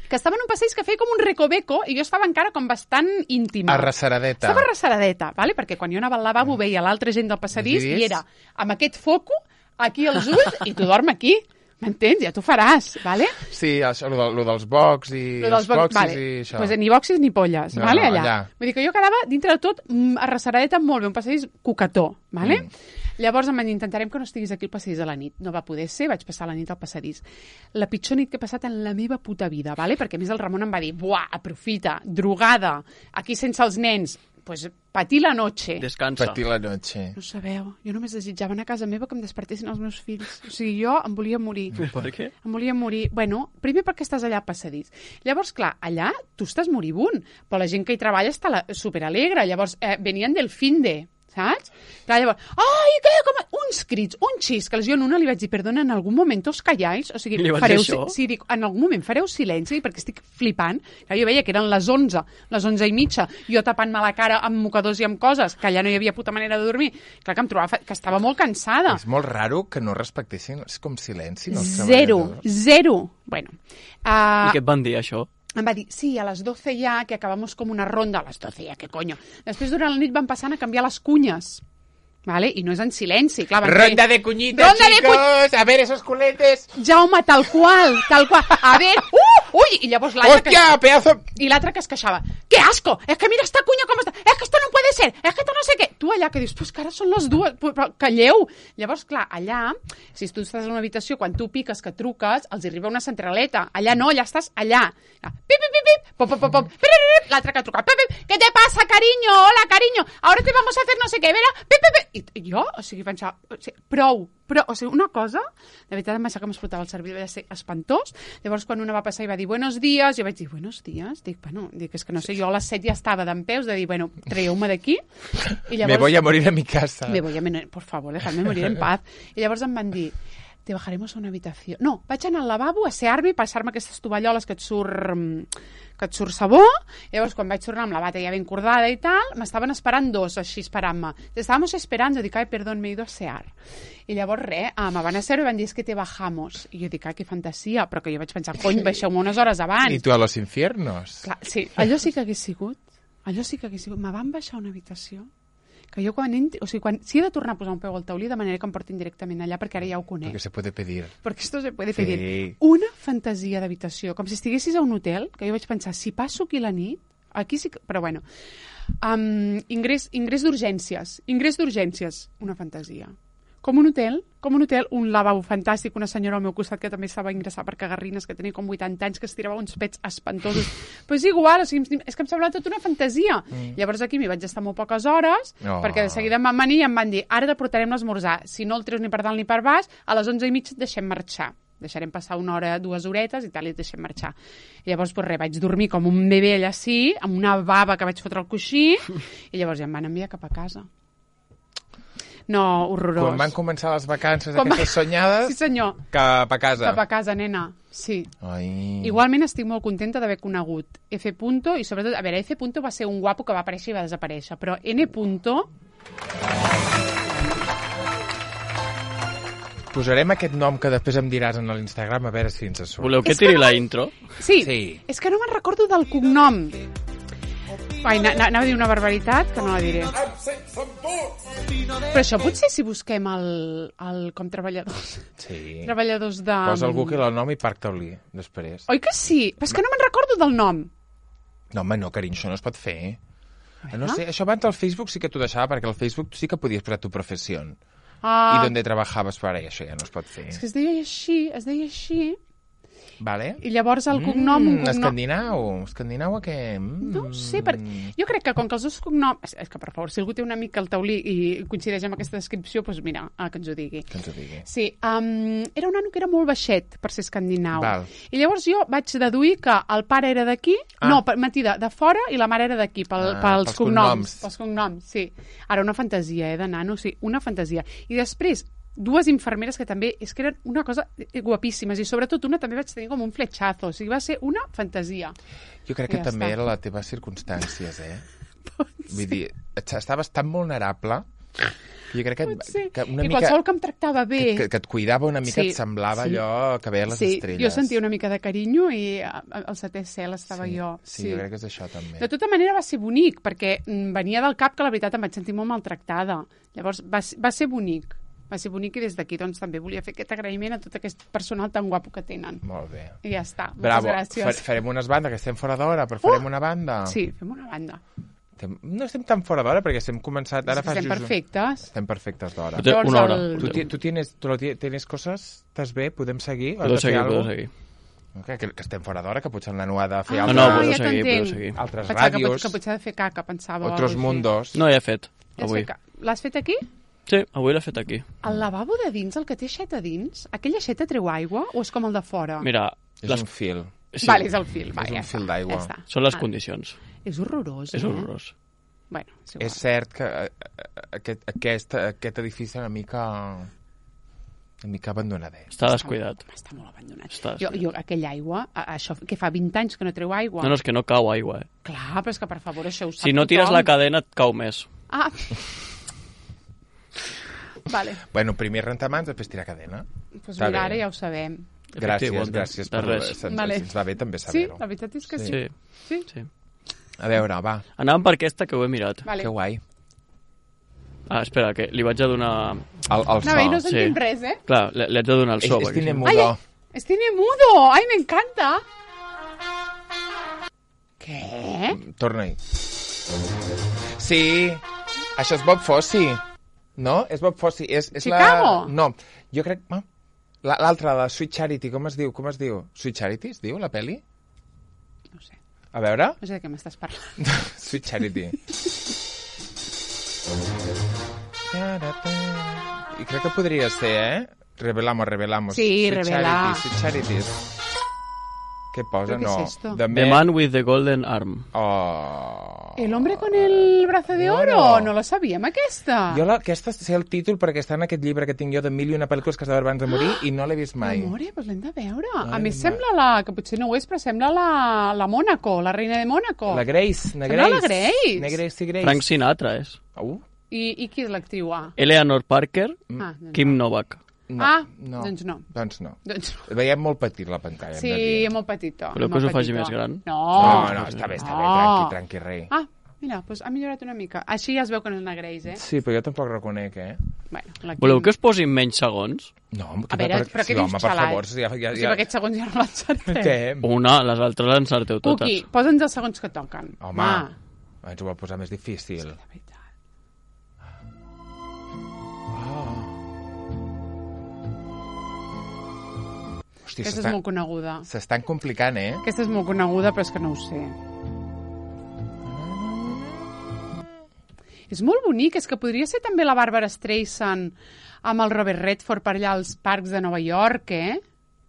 Que estava en un passadís que feia com un recoveco i jo estava encara com bastant íntima. Arrasseradeta. Estava arrasseradeta, vale? Perquè quan jo anava al lavabo veia l'altra gent del passadís i era amb aquest foco aquí als ulls i tu dorm aquí. M'entens? Ja t'ho faràs, vale? Sí, això, lo, de, lo dels box i lo dels els boxis vale. i això. Pues ni boxis ni polles, no, vale? No, allà. allà. Vull dir que jo quedava, dintre de tot, arrasseradeta molt bé, un passadís coquetó, vale? Mm. Llavors em van dir, intentarem que no estiguis aquí al passadís a la nit. No va poder ser, vaig passar la nit al passadís. La pitjor nit que he passat en la meva puta vida, vale? Perquè a més el Ramon em va dir, buah, aprofita, drogada, aquí sense els nens, pues patir la noche. Descansa. Patir la noche. No sabeu, jo només desitjava anar a casa meva que em despertessin els meus fills. O sigui, jo em volia morir. Per què? Em volia morir. Bueno, primer perquè estàs allà al passadís. Llavors, clar, allà tu estàs moribund, però la gent que hi treballa està la... superalegre. Llavors, eh, venien del finde, saps? Clar, llavors, ai, què? Com... Uns crits, un xiscles. Jo en una li vaig dir, perdona, en algun moment us calláis? O sigui, li vas fareu... dir això? Sí, dic, en algun moment fareu silenci, perquè estic flipant. Clar, jo veia que eren les onze, les onze i mitja, jo tapant-me la cara amb mocadors i amb coses, que allà no hi havia puta manera de dormir. Clar, que em trobava que estava molt cansada. És molt raro que no respectessin, és com silenci, no? Zero, zero. Bueno. Uh, I què et van dir, això? Em va dir, sí, a les doce ya, que acabamos com una ronda. A les doce ya, què coño. Després, durant la nit, van passant a canviar les cunyes. ¿Vale? I no és en silenci. Clar, van Ronda fer... de cuñitas, Ronda chicos! de cu... A ver, esos culetes! Jaume, tal qual, tal qual. A ver, uh, ui! I llavors l'altre... ¡Hostia, que... pedazo! I l'altre que es queixava. ¡Qué asco! Es que mira esta cuña com està. Es que esto no puede ser. Es que esto no sé què. Tu allà que dius, pues que ara són les dues. Però calleu. Llavors, clar, allà, si tu estàs en una habitació, quan tu piques, que truques, els arriba una centraleta. Allà no, allà estàs allà. Pip, pip, pip, pip. Pop, pop, pop, pop. L'altre que truca. Pip, pip. ¿Qué te pasa, cariño? Hola, cariño. Ahora te vamos a hacer no sé què. Vera. Pip, pip, pip. I jo, o sigui, pensava, o sigui, prou, però, o sigui, una cosa, de veritat em va ser que m'explotava el cervell, va ser espantós. Llavors, quan una va passar i va dir buenos días, jo vaig dir, buenos días? Dic, bueno, dic, és que no sé, jo a les set ja estava dempeus de dir, bueno, traieu-me d'aquí. I llavors... Me voy a morir a mi casa. Me voy a morir, por favor, dejadme morir en paz. I llavors em van dir, te bajaremos a una habitació. No, vaig anar al lavabo a ser-me, passar-me aquestes tovalloles que et surt... que et surt sabó, i llavors quan vaig tornar amb la bata ja ben cordada i tal, m'estaven esperant dos així esperant-me. Estábamos esperando, dic, ai, perdón, me he ido a sear. I llavors res, ah, me van a ser i van dir, es que te bajamos. I jo dic, ai, que fantasia, però que jo vaig pensar, cony, baixeu-me unes hores abans. I tu a los infiernos. Clar, sí, allò sí que hagués sigut, allò sí que hagués sigut. Me van baixar a una habitació que jo quan entri, o sigui, quan, si he de tornar a posar un peu al taulí, de manera que em portin directament allà, perquè ara ja ho conec. Perquè se puede pedir. Perquè esto se puede Sí. pedir. Una fantasia d'habitació, com si estiguessis a un hotel, que jo vaig pensar, si passo aquí la nit, aquí sí que... Però bueno, um, ingrés, ingrés d'urgències, ingrés d'urgències, una fantasia. Com un hotel, com un hotel, un lavabo fantàstic, una senyora al meu costat que també estava ingressada per cagarrines, que tenia com vuitanta anys, que es tirava uns pets espantosos. Però és igual, o sigui, és que em semblava tot una fantasia. Mm. Llavors aquí m'hi vaig estar molt poques hores, Oh. perquè de seguida em van venir i em van dir, ara te portarem l'esmorzar. Si no el treus ni per dalt ni per baix, a les onze i mitja et deixem marxar. Deixarem passar una hora, dues horetes i tal, i et deixem marxar. I llavors, pues res, vaig dormir com un bebè allà sí, amb una bava que vaig fotre al coixí, i llavors ja em van enviar cap a casa. No, horrorós. Quan van començar les vacances Quan aquestes va... soñades, Sí, senyor. cap a casa. Cap a casa, nena. Sí. Ai. Igualment estic molt contenta d'haver conegut F. Punto, i sobretot, a veure, F. Punto va ser un guapo que va aparèixer i va desaparèixer, però N. Punto... Posarem aquest nom que després em diràs en l'Instagram a veure si ens surt. Voleu que És que tiri no- la intro? Sí, Sí. és que no me'n recordo del cognom. Ai, na- na- anava a dir una barbaritat, que no la diré. Però això potser si busquem el, el com treballadors, Sí. treballadors de... Posa al Google el nom i Parc Taulí, després. Oi que sí? Però és que no me'n recordo del nom. No, home, no, carinyo, això no es pot fer. Veure? No sé, això abans al Facebook sí que t'ho deixava, perquè al Facebook sí que podies posar tu professió. Ah, I d'on trabajabas, però ara això ja no es pot fer. és que es deia així, es deia així, Vale. I llavors el cognom... Mm, un cognom... escandinau. Escandinau a què? Mm. No ho sé, perquè jo crec que com que els dos cognoms... És, és que, per favor, si algú té una mica al taulí i coincideix amb aquesta descripció, doncs mira, ah, que ens ho digui. Que ens ho digui. Sí, um, era un nano que era molt baixet per ser escandinau. Val. I llavors jo vaig deduir que el pare era d'aquí, Ah. no, per, Matí, de, de fora, i la mare era d'aquí, pel, Ah, pels, pels cognoms. cognoms. Pels cognoms, sí. Ara, una fantasia, eh, de nano, sí, una fantasia. I després, dues infermeres que també, és que eren una cosa guapíssimes, i sobretot una també vaig tenir com un fletxazo, o sigui, va ser una fantasia. Jo crec que Ja també està. era les teves circumstàncies, eh? Vull dir, estaves tan vulnerable que jo crec que, Sí. que una I mica... qualsevol que em tractava bé... Que, que, que et cuidava una mica, Sí, et semblava sí. allò que veia les sí, estrelles. jo sentia una mica de carinyo i a- a- al setè cel estava sí. jo. Sí, jo crec que és això també. De tota manera va ser bonic, perquè mm, venia del cap que la veritat em vaig sentir molt maltractada. Llavors va, ser- va ser bonic. Va ser bonic i des d'aquí doncs, també volia fer aquest agraïment a tot aquest personal tan guapo que tenen. Molt bé. I ja està. Bravo. Moltes gràcies. Fa- farem unes bandes, que estem fora d'hora, però farem Uh! una banda. Sí, fem una banda. Estem- No estem tan fora d'hora, perquè estem començat... Ara És que fa estem just un- perfectes. Estem perfectes d'hora. Té Llavors una hora. el- Tu, ti- tu, tienes, tu lo ti- tienes coses? Estàs bé? Podem seguir? Has Podeu de fer seguir, alguna podeu cosa? seguir. Que, que, que estem fora d'hora, que potser en la Noa ha de fer Ah, No, altres, no, podeu ja seguir, podeu t'entenc. seguir. altres Pensava que, pot, ràdios, que potser ha de fer caca, pensava. o otros alguna cosa així. mundos. No, ja he fet, Ja has avui. fet ca- L'has fet aquí? Sí, avui l'he fet aquí. El lavabo de dins, el que té aixeta dins, aquella aixeta treu aigua o és com el de fora? Mira, És les... un fil. sí, Vale, és el fil. Va, És un ja fil està, d'aigua. Ja està. són les Vale. condicions. És horrorós, És eh? horrorós. Bueno, és igual. És cert que eh, eh, aquest, aquest, aquest edifici una mica una mica abandonadet. Està descuidat. Home, està molt abandonat. Està Jo, jo, aquella aigua, a- això que fa vint anys que no treu aigua. No, no, és que no cau aigua, eh? Clar, però és que per favor això ho sap Si no tires tothom. la cadena et cau més. Ah. Vale, Bueno, primer rentamans, després tirar cadena. doncs Està mira, bé. ara ja ho sabem. Gràcies, Efectiu, de- gràcies. de Per, res. si, ens, Vale. si ens va bé també Sí, saber-ho. la veritat és que sí. Sí, Sí? sí. A veure, va, Anàvem per aquesta, que ho he mirat. Vale. que guai. Ah, espera, que li vaig a donar... El, el so. No, bé, no sí. sentim res, eh? Clar, li, li haig de donar el És, so. és perquè si cine no- mudo. Ay, es tiene mudo. Ay, me encanta. Què? Torna-hi. Sí, això és Bob Fosse. No? És Bob Fosse. És, és Chicago? La... No, jo crec... ah, la- L'altra, la Sweet Charity, com es diu? Com es diu? Sweet Charity es diu, la peli? No sé, A veure. no sé de què m'estàs parlant. Sweet Charity. I crec que podria ser, eh? Revelamos, revelamos. Sí, Sweet revela. Charity, Sweet Charities. Què posa? ¿Pero qué No. es esto? The The Man with the Golden Arm. Oh. El hombre con el brazo de oro? Bueno. No la sabíem, aquesta. Jo la, aquesta sé el títol perquè està en aquest llibre que tinc jo de mil i una pel·lícules que has de veure abans de morir i no l'he vist mai. Amore, doncs l'hem de veure. Ai, A més, ma- sembla la... que potser no ho és, però sembla la, la Mónaco, la reina de Mónaco. La Grace, na Sembla Grace. la Grace. Na Grace i Grace. Frank Sinatra és. Uh, I, I qui és l'actriu? Ah, Eleanor Parker, ah doncs, Kim Novak. no, Ah, no. doncs no. Doncs no. doncs... Veiem molt petit la pantalla. hem de Sí, dir. molt petitó. Voleu que molt us ho faci petitó. més gran? No. No, no, està bé, està bé, No. tranqui, tranqui, rei. Ah, mira, doncs ha millorat una mica. Així ja es veu que no és una Grace, eh? Sí, però jo tampoc reconec, eh? Bueno, la Voleu Kim- que us posin menys segons? No, A veure, però sí, què dius, home, per xalat? favor, ja, ja, O sigui, ja... aquests segons ja no l'encertem. Què? Una, les altres les encerteu totes. Cuqui, posa'ns els segons que toquen. Home, Ah, ens ho va posar més difícil. de veritat. Hòstia, Aquesta és s'estan- molt coneguda. s'estan complicant, eh? Aquesta és molt coneguda, però és que no ho sé. És molt bonic, és que podria ser també la Barbara Streisand amb el Robert Redford per allà als parcs de Nova York, eh?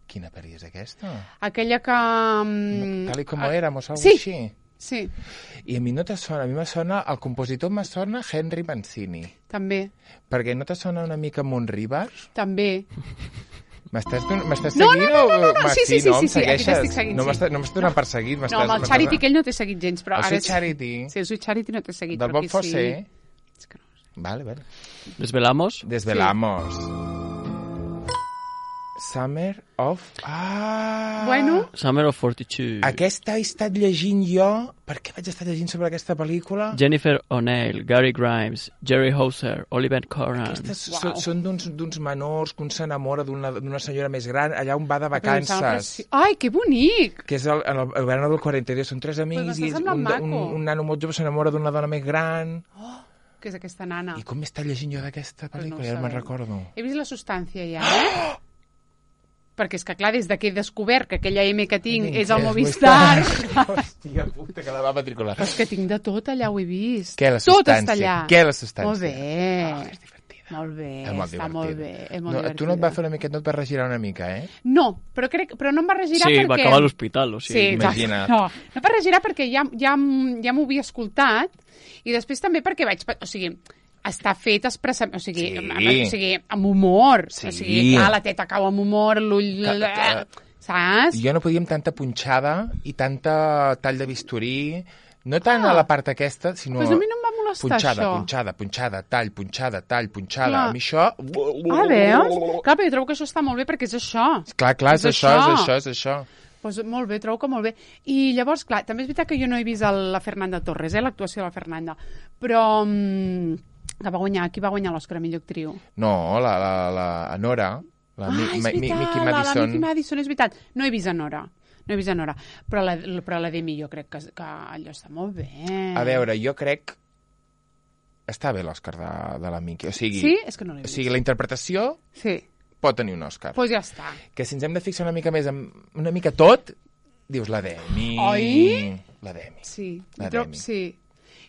Quina pel·li és aquesta? Aquella que... mm, Tal i com éramos, algo sí. així. Sí, I a mi no te sona, a mi me sona, el compositor me sona Henry Mancini. també, Perquè no te sona una mica Montrivers? també. M'estàs don- m'estàs No, seguint no, no, no, o... no, no, Ma, sí, sí, sí, no, sí, em sí, aquí segueixes? t'estic seguint, No sí. m'estàs no m'estàs donant per seguit. No, m'estàs- amb el m'estàs- Charity aquell no t'he seguit gens, però El ara... Sweet és- Charity. Sí, el Sweet Charity no t'he seguit, Del però Bob aquí Fosse. sí. És que no ho sé. Vale, vale. Desvelamos? Desvelamos. Summer of... Ah! Bueno, Summer of forty-two. Aquesta he estat llegint jo... Per què vaig estar llegint sobre aquesta pel·lícula? Jennifer O'Neill, Gary Grimes, Jerry Hauser, Oliver Coran. Aquestes Uau. són, són d'uns d'uns menors que un s'enamora d'una d'una senyora més gran allà on va de però em sembla vacances. preci- Ai, que bonic! Que és el, el, el verano del quaranta-dos. Són tres amics m'està i semblant un, maco. un, un nano molt jove s'enamora d'una dona més gran. Que és aquesta nana. I com m'està llegint jo d'aquesta Pues no ho pel·lícula? Ja no me'n sabem. recordo. He vist la substància ja, eh? perquè és que, clar, des de que he descobert que aquella M que tinc Vinga, és el és Movistar... Hòstia puta, que la va matricular. Però és que tinc de tot allà, ho he vist. Què, la Tot substància? està allà. Què, la substància? Molt bé. Oh, és divertida. Molt bé, És molt està molt bé. divertida. És molt No, divertida. tu no et va fer una mica, no et va regirar una mica, eh? No, però, crec, però no em va regirar Sí, perquè... va acabar a l'hospital, o sigui... Sí, exacte. imagina't. No, no per regirar perquè ja, ja, m- ja m'ho havia escoltat i després també perquè vaig... pe- O sigui, està fet expressament, o sigui, Sí. amb, o sigui, amb humor. Sí. O sigui, clar, la teta cau amb humor, l'ull... Que- que- Saps? Jo no podia amb tanta punxada i tanta tall de bisturí, no tant Ah. a la part aquesta, sinó... Pues a mi no em va molestar, punxada, això. punxada, punxada, tall, punxada, tall, punxada. Clar. A mi això... Ah, veus? Clar, però jo trobo que això està molt bé perquè és això. Clar, clar, és, És això, és això. això, és això. Pues molt bé, trobo que molt bé. I llavors, clar, també és veritat que jo no he vist el, la Fernanda Torres, eh, l'actuació de la Fernanda, però mm, que va guanyar, qui va guanyar l'Oscar a millor actriu? No, la, la, la Anora, la ah, Mi, és Mi, Mi, veritat, Mickey la, la Madison... Mickey Madison, és veritat. No he vist a Nora, no he vist a Nora, però la, però la Demi jo crec que, que allò està molt bé. A veure, jo crec... Està bé l'Òscar de, de la Mickey, o sigui... Sí? És que no l'he O vist. sigui, la interpretació Sí, pot tenir un Òscar. doncs pues ja està. Que si ens hem de fixar una mica més en una mica tot, dius la Demi... Oi? La Demi. Sí, La trob, Demi. sí.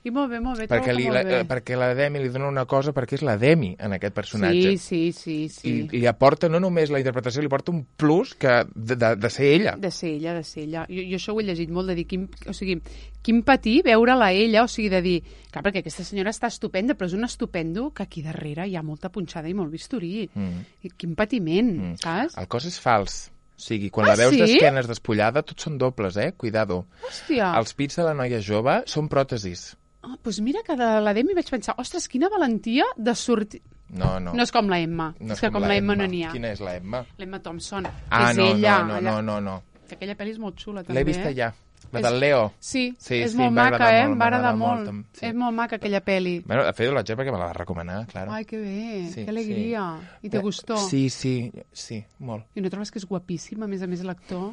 I molt bé, molt bé, Perquè, trobo li, que la, molt bé. eh, perquè la Demi li dona una cosa perquè és la Demi en aquest personatge. Sí, sí, sí, sí. I li aporta no només la interpretació, li aporta un plus que de, de, de ser ella. De ser ella, de ser ella. Jo, jo això ho he llegit molt, de dir, quin, o sigui, quin patir veure-la ella, o sigui, de dir, clar, perquè aquesta senyora està estupenda, però és un estupendo que aquí darrere hi ha molta punxada i molt bisturí. Mm. I quin patiment, Mm. saps? El cos és fals. O sigui, quan Ah, la veus sí? d'esquenes despullada, tots són dobles, eh? Cuidado. Hòstia. Els pits de la noia jove són pròtesis. Ah, doncs mira que de la Demi vaig pensar, ostres, quina valentia de sortir... No, no. No és com la Emma, No és que com la Emma no n'hi ha. Quina és la Emma? L'Emma Thompson, Ah, és no, ella. no, no, allà. no, no, no. Que aquella pel·li és molt xula, també. L'he vista eh? ja. La És- del Leo. Sí, Sí, és sí, molt em va maca, agradar eh? molt, Em va m'ha agradar agradat molt. molt, tam- sí. És molt maca aquella pel·li. Bueno, de fet, l'haig perquè me la va recomanar, claro. Ai, que bé, Sí, que alegria. sí. I te Eh, gustó? Sí, sí, sí, molt. I no trobes que és guapíssim, a més a més, l'actor?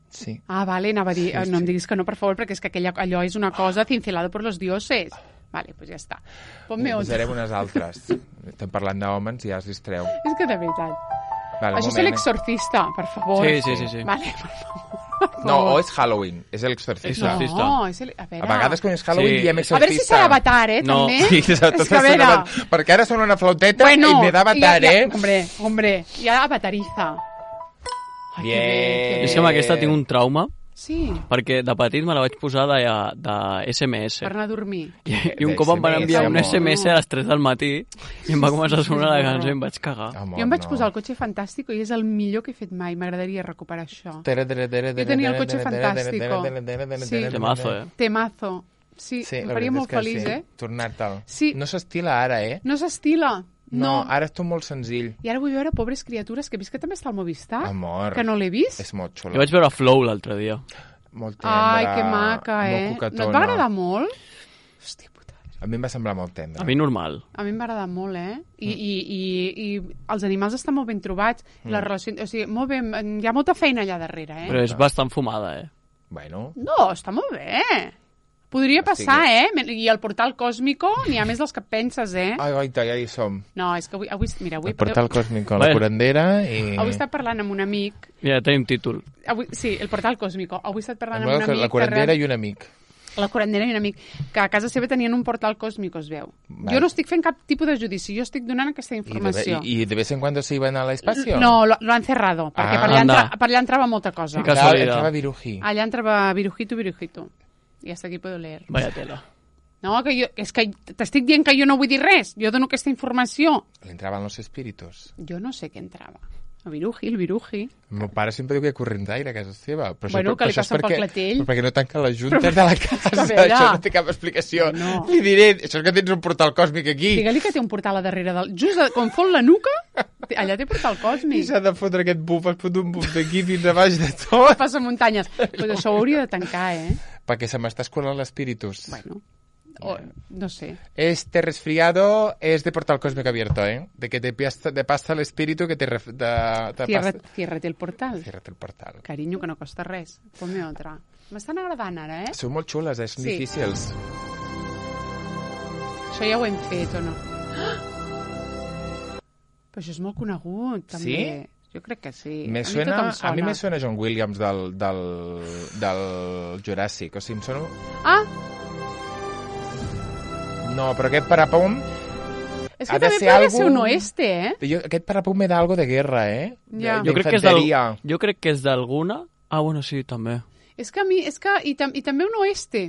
Sí. Ah, vale, anava a dir, Sí, eh, no em sí. diguis que no, per favor, perquè és que aquella, allò és una cosa cincelada per los dioses. Vale, pues ja està. Ponme otra. Posarem unes altres. Estem parlant d'homes i ja es distreu. És que de veritat. Vale, un Això és moment, eh? l'exorcista, per favor. Sí, sí, sí, sí. Vale, per favor. Per No, favor. o és Halloween, és l'exorcista. Exorcista. No, és el... A veure... A vegades quan és Halloween Sí. diem A exorcista. veure si serà Avatar, eh, No. també. Sí, exacte, és que a veure... perquè ara sona una flauteta Bueno, i me da Avatar, ja, ja, eh? Hombre, hombre, ja avatariza. Ai, Bien. que bé, que bé. És que amb aquesta tinc un trauma, Sí, perquè de petit me la vaig posar de, de S M S. per anar a dormir. I, i un cop em van enviar un S M S a les tres del matí i em va començar a sonar la cançó i em vaig cagar. Amor, Jo em vaig no. posar el cotxe fantàstico i és el millor que he fet mai. M'agradaria recuperar això. Jo tenia el cotxe fantástico. Sí. Temazo, eh? Temazo. Sí, Sí, em la faria veritat molt és que feliç, sí. eh? Tornar-te'l. Sí. No s'estila ara, eh? No s'estila. No, No. ara és tot molt senzill. I ara vull veure Pobres criatures, que he vist que també està al Movistar. Amor. Que no l'he vist. És molt Jo xulo. vaig veure Flow l'altre dia. Molt tendre. Ai, que maca, eh? Molt coquetona. No et va agradar molt? Hòstia puta. A mi em va semblar molt tendre. A mi normal. A mi em va agradar molt, eh? I, i, i, i els animals estan molt ben trobats. Mm. La relació... O sigui, molt ben... Hi ha molta feina allà darrere, eh? Però és bastant fumada, eh? Bueno, No, està molt bé. Podria passar, eh? I el portal còsmico n'hi ha més dels que penses, eh? ai, goita, ja hi som. No, és que avui... avui mira, avui, El portal còsmic a la Bé. curandera i... avui he estat parlant amb un amic... Ja tenim títol. Avui, sí, el portal còsmico. Avui he estat parlant amb Bueno, un que amic... la curandera que... i un amic. La curandera i un amic, que a casa seva tenien un portal còsmico, es veu. Vale. Jo no estic fent cap tipus de judici, jo estic donant aquesta I de, informació. i, I de vez en cuando se iban al espacio. No, lo, lo han cerrado, perquè Ah. per, allà Anda. entra, per allà entrava molta cosa. Que Claro, casualidad. entraba Viruji. Allà entrava virujito, virujito. I hasta aquí puedo leer. Vaya tela. No, que jo, és que t'estic dient que jo no vull dir res. Jo dono aquesta informació. Le entraban los espíritus. Jo no sé què entrava. El viruji, el viruji. El meu pare sempre diu que hi ha correntaire a casa seva. Però Bueno, això, que li això és passa pel perquè, clatell. però perquè no tanca les juntes de la casa. a veure. Això no té cap explicació. No. Li diré, això és que tens un portal còsmic aquí. Digue-li que té un portal a darrere del... Just de, quan fot la nuca, té- allà té portal I còsmic. s'ha de fotre aquest buf, es fot un buf d'aquí fins a baix de tot. Passa muntanyes. Pues això ho hauria de tancar, eh? Perquè se m'està escolant l'espíritus. Bueno, o, no sé. Este resfriado es de portal cósmico abierto, ¿eh? De que te, pasta, te pasa el espíritu que te... Ref, de, te Cierra, pasta... ciérrate el portal. Ciérrate el portal. Carinyo, que no costa res. Ponme otra. M'estan agradant ara, eh? Són molt xules, eh? Són Sí. difícils. Això ja ho hem fet, o no? Ah! Però això és molt conegut, també. Jo crec que sí. Me a, mi suena, tot em sona. a mi me suena John Williams del, del, del Jurassic. O sigui, em sona... Ah, No, però aquest parapum... és que Ha de també ser podria algo- ser un oeste, eh? Jo, aquest parapum me da algo de guerra, eh? Ja. De, Jo crec que és del- d'infanteria. Jo crec que és d'alguna... Ah, bueno, sí, també. És que a mi... És que, i, tam, I també un oeste.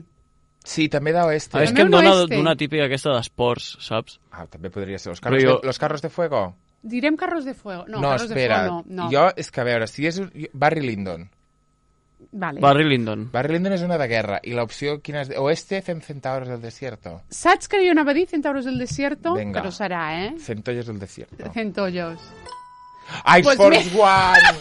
Sí, també d'oeste. Ah, és També que em un dona oeste. d'una típica aquesta d'esports, saps? Ah, també podria ser. Los carros, Però jo- de, los carros de fuego? Direm Carros de Fuego. No, no Carros espera. de Fuego no. no. Jo, és que a veure, si és... un- Barry Lyndon. Vale. Barry Lyndon. Barry Lyndon és una de guerra. I l'opció, quina és? Oeste, fem Centauros del Desierto. Saps que jo anava a dir Centauros del Desierto? Venga. Però serà, eh? Centollos del Desierto. Centollos. Ice Pues Force One!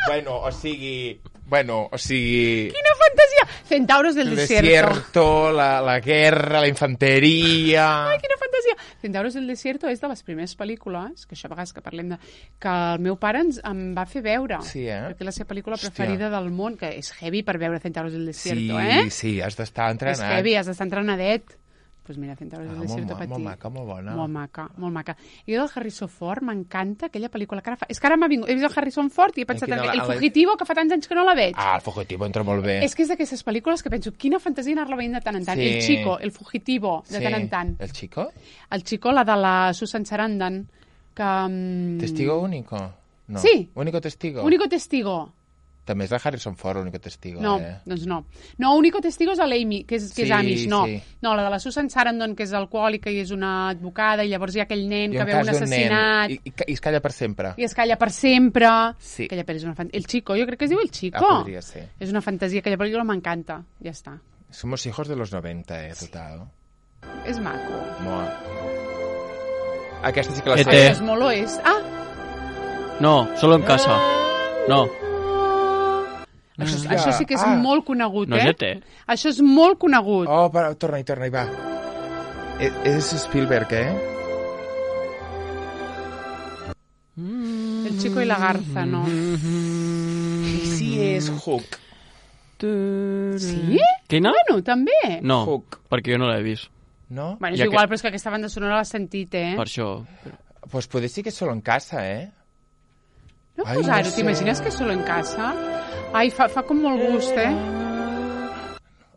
Bueno, o sigui... Bueno, o sigui... Quina fantasia! Centauros del El Desierto. desierto, la, la guerra, la infanteria... Ai, quina fantasia! Centauros del Desierto és de les primeres pel·lícules, que això a vegades que parlem de... que el meu pare ens em va fer veure. Sí, eh? Perquè és la seva pel·lícula Hòstia. preferida del món, que és heavy per veure Centauros del Sí, Desierto, eh? sí, has d'estar entrenat. És heavy, has d'estar entrenadet. Doncs pues mira, Centauros Ah, del molt, Desierto ma- per molt ti. maca, molt bona. Molt maca, molt maca. I del Harrison Ford m'encanta aquella pel·lícula que ara fa... És que ara m'ha vingut... He vist el Harrison Ford i he pensat quina en la- el la- Fugitivo, que fa tants anys que no la veig. Ah, el Fugitivo entra molt bé. És que és d'aquestes pel·lícules que penso, quina fantasia anar-la veient de tant en tant. Sí. El Chico, el Fugitivo, de Sí. tant en tant. El Chico? El Chico, la de la Susan Sarandon, que... mm, Testigo único? No. Sí. Único testigo? Único Testigo. També és de Harrison Ford, Único testigo, No, eh? doncs no. No, Único Testigo és a l'Amy, que és, que és Sí, Amish, no. sí. No, la de la Susan Sarandon, que és alcohòlica i és una advocada, i llavors hi ha aquell nen I que un veu un cas d'un assassinat... nen, i, i, i es calla per sempre. I es calla per sempre. Sí. Aquella pel·li és una fantasia. El Chico, jo crec que es diu El Chico. Ah, podria ser. És una fantasia, aquella pel·lícula m'encanta. Ja està. Somos hijos de los noventa, eh, total. És maco. Moa. Aquesta sí que la E sé. T. És molt oest. Ah, No, solo en casa. No, això, Hòstia, això sí que és ah. molt conegut, no és eh? E T. Això és molt conegut. Oh, però, torna-hi, torna-hi, va. E és Spielberg, eh? El Chico i la Garza, no. I si és Hook? Sí? Quina? Bueno, també. No, Hook. perquè jo no l'he vist. No? Bueno, és Ja igual, que- però és que aquesta banda sonora l'has sentit, eh? Per això. Pues puede ser que es solo en casa, eh? No Ai, posar-ho, no sé. t'imagines que és solo en casa? Ai, fa, fa com molt gust, eh?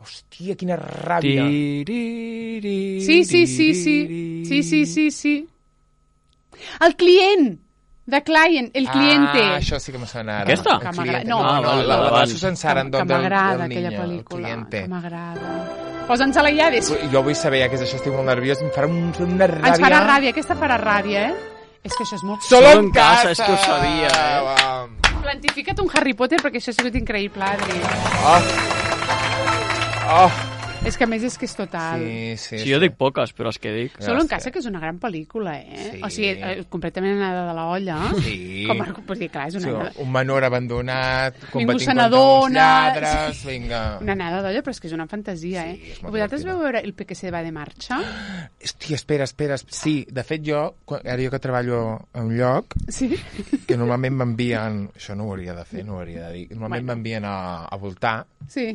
Hòstia, quina ràbia. Sí, sí, sí, sí. Sí, sí, sí, sí. El client! The client, el cliente. Ah, això sí que me sona ara. Aquesta? El Que m'agrada. cliente. No, No, no, no, la, la, la abans. Susan que, Sarandon que del, m'agrada del aquella niño, el pel·lícula. cliente. Que m'agrada. Posa'ns a la iades. Jo vull saber ja què és això, estic molt nerviós, em farà un, una ràbia. Ens farà ràbia, aquesta farà ràbia, eh? És que això és molt... Solo Solo en en casa, casa, és que ho sabia, eh? Va. Plantifica't un Harry Potter perquè això ha sigut increïble, Adri. Oh. Oh. És que a més és que és total. Sí, sí, Sí, jo dic poques, però les que dic... Solo en Gràcies. casa, que és una gran pel·lícula, eh? Sí. O sigui, eh, completament anada de la olla. Sí. Com a... Pues dir, clar, és Sí, una, un menor abandonat, Ningú combatint se contra uns n'adona. lladres, vinga. una anada d'olla, però és que és una fantasia, Sí, eh? és molt Vosaltres divertida. veu veure el P Q C va de marxa? Hòstia, espera, espera. Sí, de fet jo, quan- ara jo que treballo a un lloc, Sí? que normalment m'envien... Això no ho hauria de fer, no ho hauria de dir. Normalment Bueno. m'envien a, a voltar, Sí.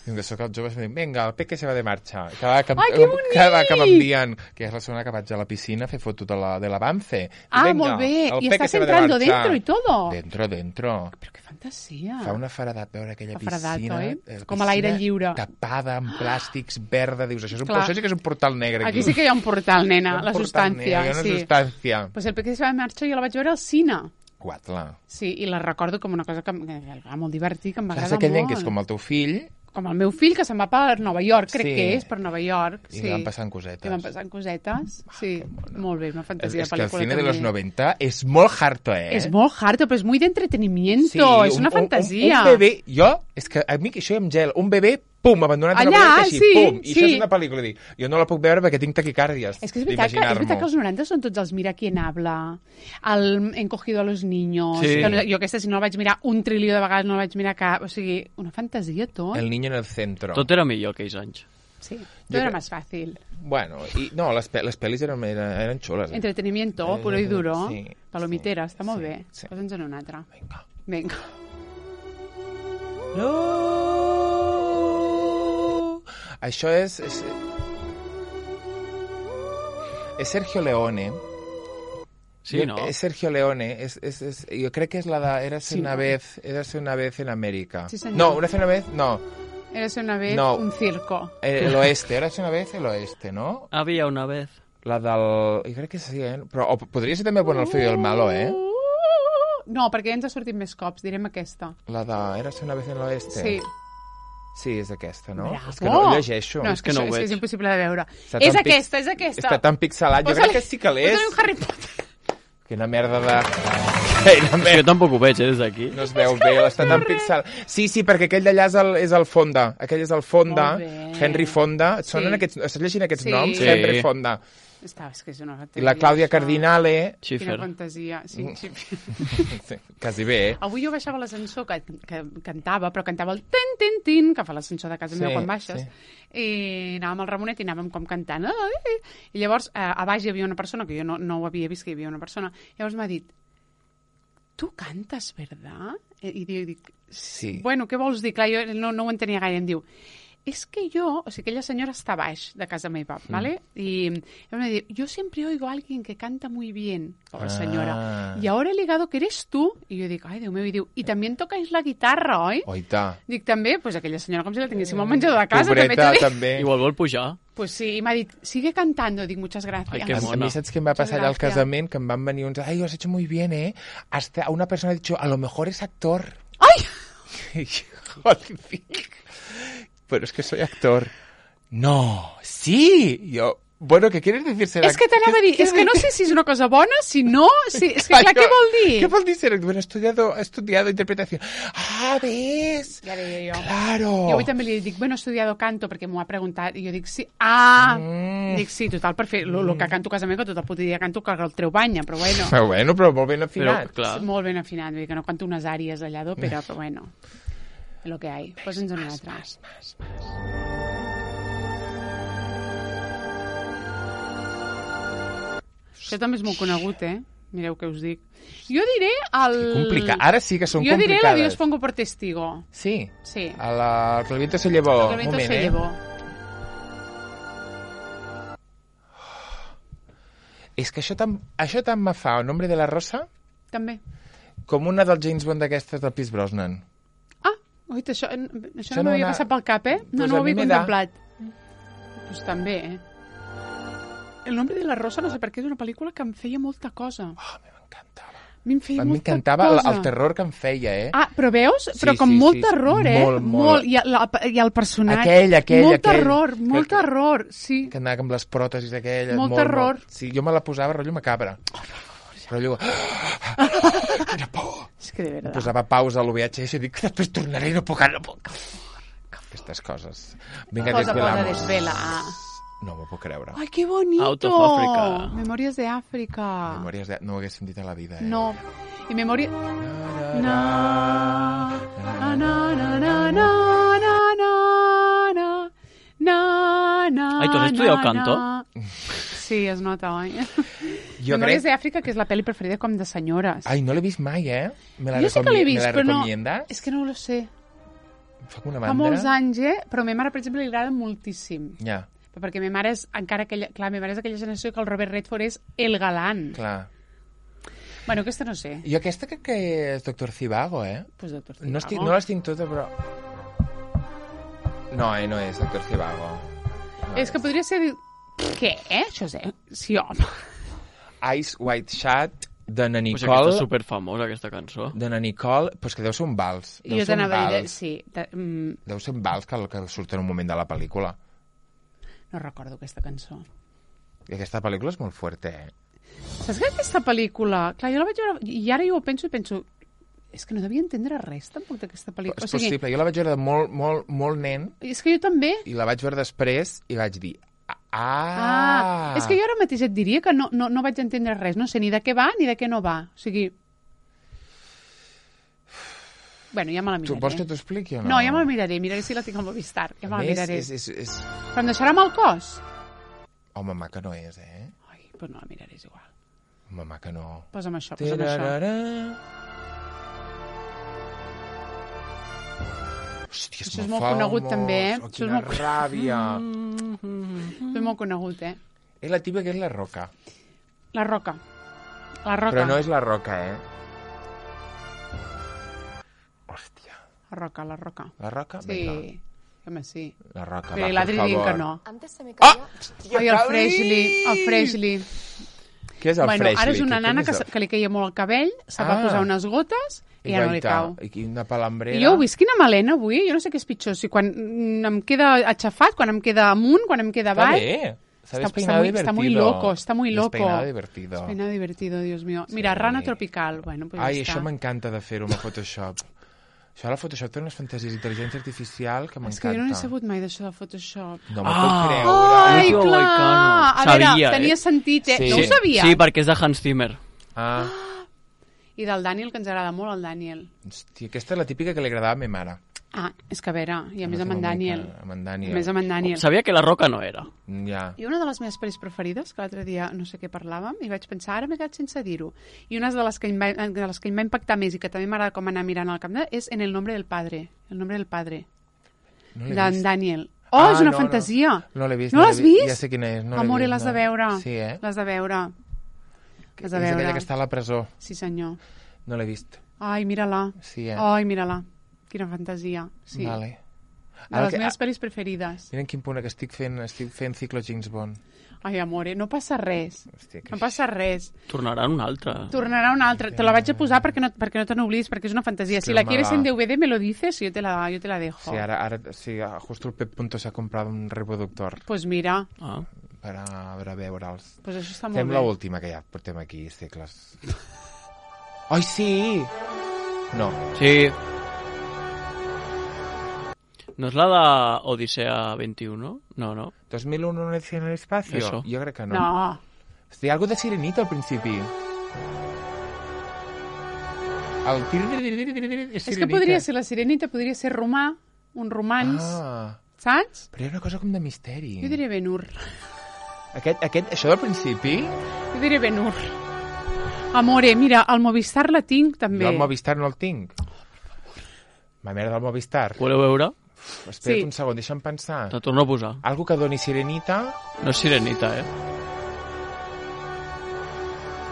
i que sóc els joves, em diuen, vinga, el P que se va de marxa. Cada, que, Ai, que bonic! cada que m'envien, que és la segona que vaig a la piscina a fer foto de la, de l'avance. Ah, Venga, molt bé. el I P estàs que se va de entrando marcha. dentro y todo. Dentro, dentro. Però que fantasia. Fa una faradat veure aquella Fa faradat, piscina, oi? eh, Com a l'aire piscina lliure. tapada amb plàstics, verda, dius, això, és un, Clar. això sí que és un portal negre aquí. Aquí sí que hi ha un portal, Hi nena, ha un la portal substància. negre, hi ha Sí. una substància. Pues el P Q C va de marxa jo la vaig veure al cine. Guatla. Sí, i la recordo com una cosa que, que era molt divertit, que em va Saps agradar aquell nen molt. que és com el teu fill Com el meu fill, que se'n va per Nova York, crec Sí. que és, per Nova York. i sí. li van passant cosetes. I van passant cosetes. Sí, molt bé, una És, fantasia és de que el pel·lícula cine de també. los noventa és molt harto, eh? És molt hard, però és muy de entretenimiento, és una fantasia. Un, un bebè, jo, és que a mi que això em gel, un bebè, pum, abandonat a Allà, Nova York, així, sí, pum, i sí. això és una pel·lícula, dic, jo no la puc veure perquè tinc taquicàrdies. És que és veritat que, és veritat que els noranta són tots els Mira quién habla, el Encogido a los niños, Sí. que no, jo aquesta si no la vaig mirar un trilió de vegades, no la vaig mirar cap, o sigui, una fantasia tot. El niño en el centro. Tot era millor aquells anys. Sí, tot Jo era crec- més fàcil. Bueno, i, no, les, pe les pel·lis eren, eren, eren xules. Eh? Entretenimiento, Eh, puro i duro, sí, palomitera, està molt sí, bé. sí. Posa'ns en una altra. Vinga. Vinga. No. Això és, és... És Sergio Leone. Sí, no? És Sergio Leone. És, és, és, jo crec que és la de... Érase Sí, una no? vez... Érase una vez en América. Sí, senyor. No, una una vez... No. Érase una vez No. un circo. Eh, El oeste. Érase una vez el oeste, no? Había una vez. La del... Jo crec que sí, eh? Però o podria ser també Bueno, el feo i el malo, eh? No, perquè ja ens ha sortit més cops. Direm aquesta. La de... Érase una vez en l'oeste. Sí. Sí, és aquesta, no? Bravo. És que no ho llegeixo. No, és que, que no això, ho és, que és veig. impossible de veure. Està És tan pix- aquesta, és aquesta. Està tan pixelat. Jo crec que sí que l'és. Posa-li un Harry Potter. Quina merda de... Quina Jo merda. tampoc ho veig, eh, des d'aquí. No es veu bé, està tan pixel. Sí, sí, perquè aquell d'allà és, el, és el Fonda. Aquell és el Fonda, Molt bé. Henry Fonda. Et sonen Sí. aquests, estàs llegint aquests Sí. noms? Sí. Henry Fonda. Està, és que és una I la Clàudia això. Cardinale... Quina Schiffer. fantasia. Sí, sí. Sí, quasi bé, eh? Avui jo baixava l'ascensor, que, que cantava, però cantava el tin, tin, tin, que fa l'ascensor de casa Sí, meva quan baixes, sí. i anàvem al Ramonet i anàvem com cantant. Ai! I llavors, eh, a baix hi havia una persona, que jo no, no ho havia vist, que hi havia una persona, llavors m'ha dit, tu cantes, verdad? I, i dic, Sí. bueno, què vols dir? Clar, jo no, no ho entenia gaire, em diu, és que jo, o sigui, aquella senyora està a baix de casa meva, Mm. ¿vale? Y me dice, yo siempre oigo a alguien que canta muy bien, pobre Ah. señora, y ahora he ligado que eres tú, y yo dic, ai, Déu meu, i diu, i també tocais la guitarra, oi? Oita. Dic, també, pues aquella senyora com si la tinguéssim al menjador de casa, també Pobreta, t'he dit. també. Igual vol pujar. Pues sí, i m'ha dit, sigue cantando, dic, muchas gracias. Ai, que A, a mona. mi saps què em va Muchas passar allà al gracias. casament? Que em van venir uns... Ai, ho has hecho muy bien, eh? Hasta una persona ha dicho, a lo mejor es actor. Ai! Joder. Pero es que soy actor. No, sí. Yo, bueno, ¿qué quieres decir ser És que t'anava a dir, és que no sé si és una cosa bona, si no, si, és que clar, què vol dir? ¿Qué vol dir ser actor? Bueno, he estudiado, he estudiado interpretación. Ah, ¿ves? Ja deia jo. Claro. Jo avui també li dic, bueno, he estudiado canto, perquè m'ho ha preguntat, i jo dic, sí, ah, Mm. dic, sí, total, per fer el que canto a casa meva, que tot el puto dia canto que el treu banya, però bueno, Però bueno, però molt ben Però, afinat. clar, molt ben afinat, vull dir que no canto unes àries allà d'òpera, però bueno, és el que hi ha. Posa'ns una altra. Això també és molt conegut, eh? Mireu què us dic. Jo diré el... Complicat. Ara sí que són jo diré complicades. la Dios pongo por testigo. Sí. Sí. A la Clavito se llevó. El viento Moment, se eh? llevó. És que això tant, això tant me fa el nombre de la Rosa També. com una dels James Bond d'aquestes del Pierce Brosnan. Ah, oita, això, això, Això no no m'havia una- passat pel cap, eh? No, Pues no a ho havia mi me da. contemplat. Pues també, eh? El nombre de la Rosa, no sé per què, és una pel·lícula que em feia molta cosa. Oh, a mi m'encantava. A mi em feia A mi molta m'encantava el, cosa. el terror que em feia, eh? Ah, però veus? Sí, Però com sí, molt sí, terror, eh? molt, molt. I, el, I el personatge. Aquell, aquell, Molt aquell. terror, molt Que- terror, sí. Que anava amb les pròtesis aquelles. Molt terror. Molt. Sí, jo me la posava rotllo macabra. Rotllo... Quina por. És que de veritat. Posava pausa a l'U V H S i dic que després tornaré i no puc, no puc. Aquestes coses. Vinga, Posa, posa, desvelamos. desvela. No m'ho puc creure. Ai, que bonito. Out of Africa. Memòries de Àfrica. Memòries de... No ho haguéssim dit a la vida, eh? No. I memòria... Na, Na, na, na, na, na, na, na, na, na, na, Ai, tu has estudiat na, canto? na. Sí, es nota, oi? Jo Memòries crec... d'Àfrica, que és la pel·li preferida com de senyores. Ai, no l'he vist mai, eh? Me la, jo sí que l'he vist, me la però no... recomiendas? És que no ho sé. Fa una Fa mandra. molts anys, eh? Però a ma mare, per exemple, li agrada moltíssim. Ja, Però perquè ma mare és encara aquella... Clar, ma mare és aquella generació que el Robert Redford és el galant. clar. Bueno, aquesta no sé. Jo aquesta crec que és Doctor Zivago, eh? Pues Doctor No, estic, Zivago. no les tinc totes, però... No, eh, no és Doctor Zivago. No És que podria ser... Què? Això és... Eh? Sí, home. Ice White Shad, de na Pues Nicole... aquesta és superfamosa, aquesta cançó. De na Nicole, però és que deu ser un vals. Deu Jo ser un t'anava a dir... vals. Sí. De, mm, Deu ser un vals que, que surt en un moment de la pel·lícula. no recordo aquesta cançó. I aquesta pel·lícula és molt fuerte, eh? Saps que aquesta pel·lícula... Clar, jo la vaig veure... I ara jo ho penso i penso... És que no devia entendre res, tampoc, d'aquesta pel·lícula. És possible. Jo la vaig veure de molt, molt, molt nen És que jo també... i la vaig veure després i vaig dir... Ah! Ah, és que jo ara mateix et diria que no, no, no vaig entendre res. No sé ni de què va ni de què no va. O sigui... Bueno, ja me la Tu miraré. vols que t'ho expliqui o no? No, ja me la miraré. Miraré si la tinc al Movistar. Ja me A la més, miraré. és, és, és... Però em deixarà mal cos? Home, maca no és, eh? Ai, doncs no la miraré, és igual. Home, maca no. Posa'm això, posa'm això. Tararara. Hòstia, Això és molt conegut, també, eh? Oh, Això és quina molt- ràbia. Mm. Mm. És molt conegut, eh? És la típica que és la roca. La Roca. La Roca. Però no és la Roca, eh? Hòstia. La Roca, la Roca. La Roca? Sí. Vinga. Home, sí. La Roca, Però va, l'altre per dient favor. que no. Antes se me Ah! caía... Hòstia, Ai, el Cali! Freshly, el Freshly. Què és el Bueno, Freshly? ara és una Què- nana què que, és se- que li caia molt el cabell, se va Ah. posar unes gotes i ja no li guaita, cau. I una palambrera. I jo ho visc quina melena avui, jo no sé què és pitjor, si quan mm, em queda aixafat, quan em queda amunt, quan em queda Està avall. bé. S'ha Está, despeinado está, muy, divertido. está muy loco, está muy loco. Despeinado divertido. Despeinado divertido, Dios mío. Mira, Sí. rana tropical. Bueno, pues Ai, ja això està. m'encanta de fer-ho amb el Photoshop. Això, la Photoshop té unes fantasies d'intel·ligència artificial que m'encanta. És que jo no n'he sabut mai d'això del Photoshop. No m'ho Ah. puc creure. Ai, Tio, clar! Moicano. A veure, Sabia, tenia eh? sentit, eh? Sí. No ho sabia. Sí, perquè és de Hans Zimmer. Ah, I del Daniel, que ens agrada molt, el Daniel. hòstia, aquesta és la típica que li agradava a ma mare. Ah, és que a veure, i a més amb Una en Daniel. mica Amb en Daniel. A més amb en Daniel. Sabia que la Roca no era. Ja. I una de les meves pel·lis preferides, que l'altre dia no sé què parlàvem, i vaig pensar, ara m'he quedat sense dir-ho. I una de les que em va, de les que em va impactar més i que també m'agrada com anar mirant al camp de, és En el nombre del padre. El nombre del padre. No l'he D'en vist. Daniel. Oh, Ah, és una no, fantasia. No, no l'he vist. No l'he l'has vist? Ja sé quina és. No l'he Amore, vist, l'has no. de veure. Sí, eh? L'has de veure. L'has de És veure. aquella que està a la presó. Sí, senyor. No l'he vist. Ai, mira-la. Sí, eh? Ai, mira-la. Quina fantasia. Sí. Vale. De les que- meves pel·lis preferides. Mira en quin punt que estic fent, estic fent ciclo James Bond. Ai, amore, no passa res. Hòstia, que No passa res. Tornarà un altre. Tornarà una altra. Te la vaig a posar perquè no, perquè no te n'oblidis, perquè és una fantasia. Es Si que la me quieres va. en D V D, me lo dices y yo te la, yo te la dejo. Sí, ara, ara sí, justo el Pep Punto s'ha comprat un reproductor Pues mira, Ah. per a, per a veure'ls. pues això està molt Fem bé. l'última, que ja portem aquí segles. Ai, sí! No. Sí. No és la d'Odissea vint-i-un? No, no. dos mil u no en el espacio? Eso. Jo crec que no. No. Hi ha algo de Sirenita al principi. El tir... És que podria ser la Sirenita, podria ser romà, un romans, Ah, saps? però hi ha una cosa com de misteri. Jo diré Ben-Hur. Aquest, aquest, això del principi, Jo diré Ben-Hur. Amore, mira, al Movistar la tinc també. jo el Movistar no el tinc. Ma mare del Movistar. Voleu veure? Espera't Sí. un segon, deixa'm pensar. Te torno a posar. Algo que doni Sirenita... No és Sirenita, eh?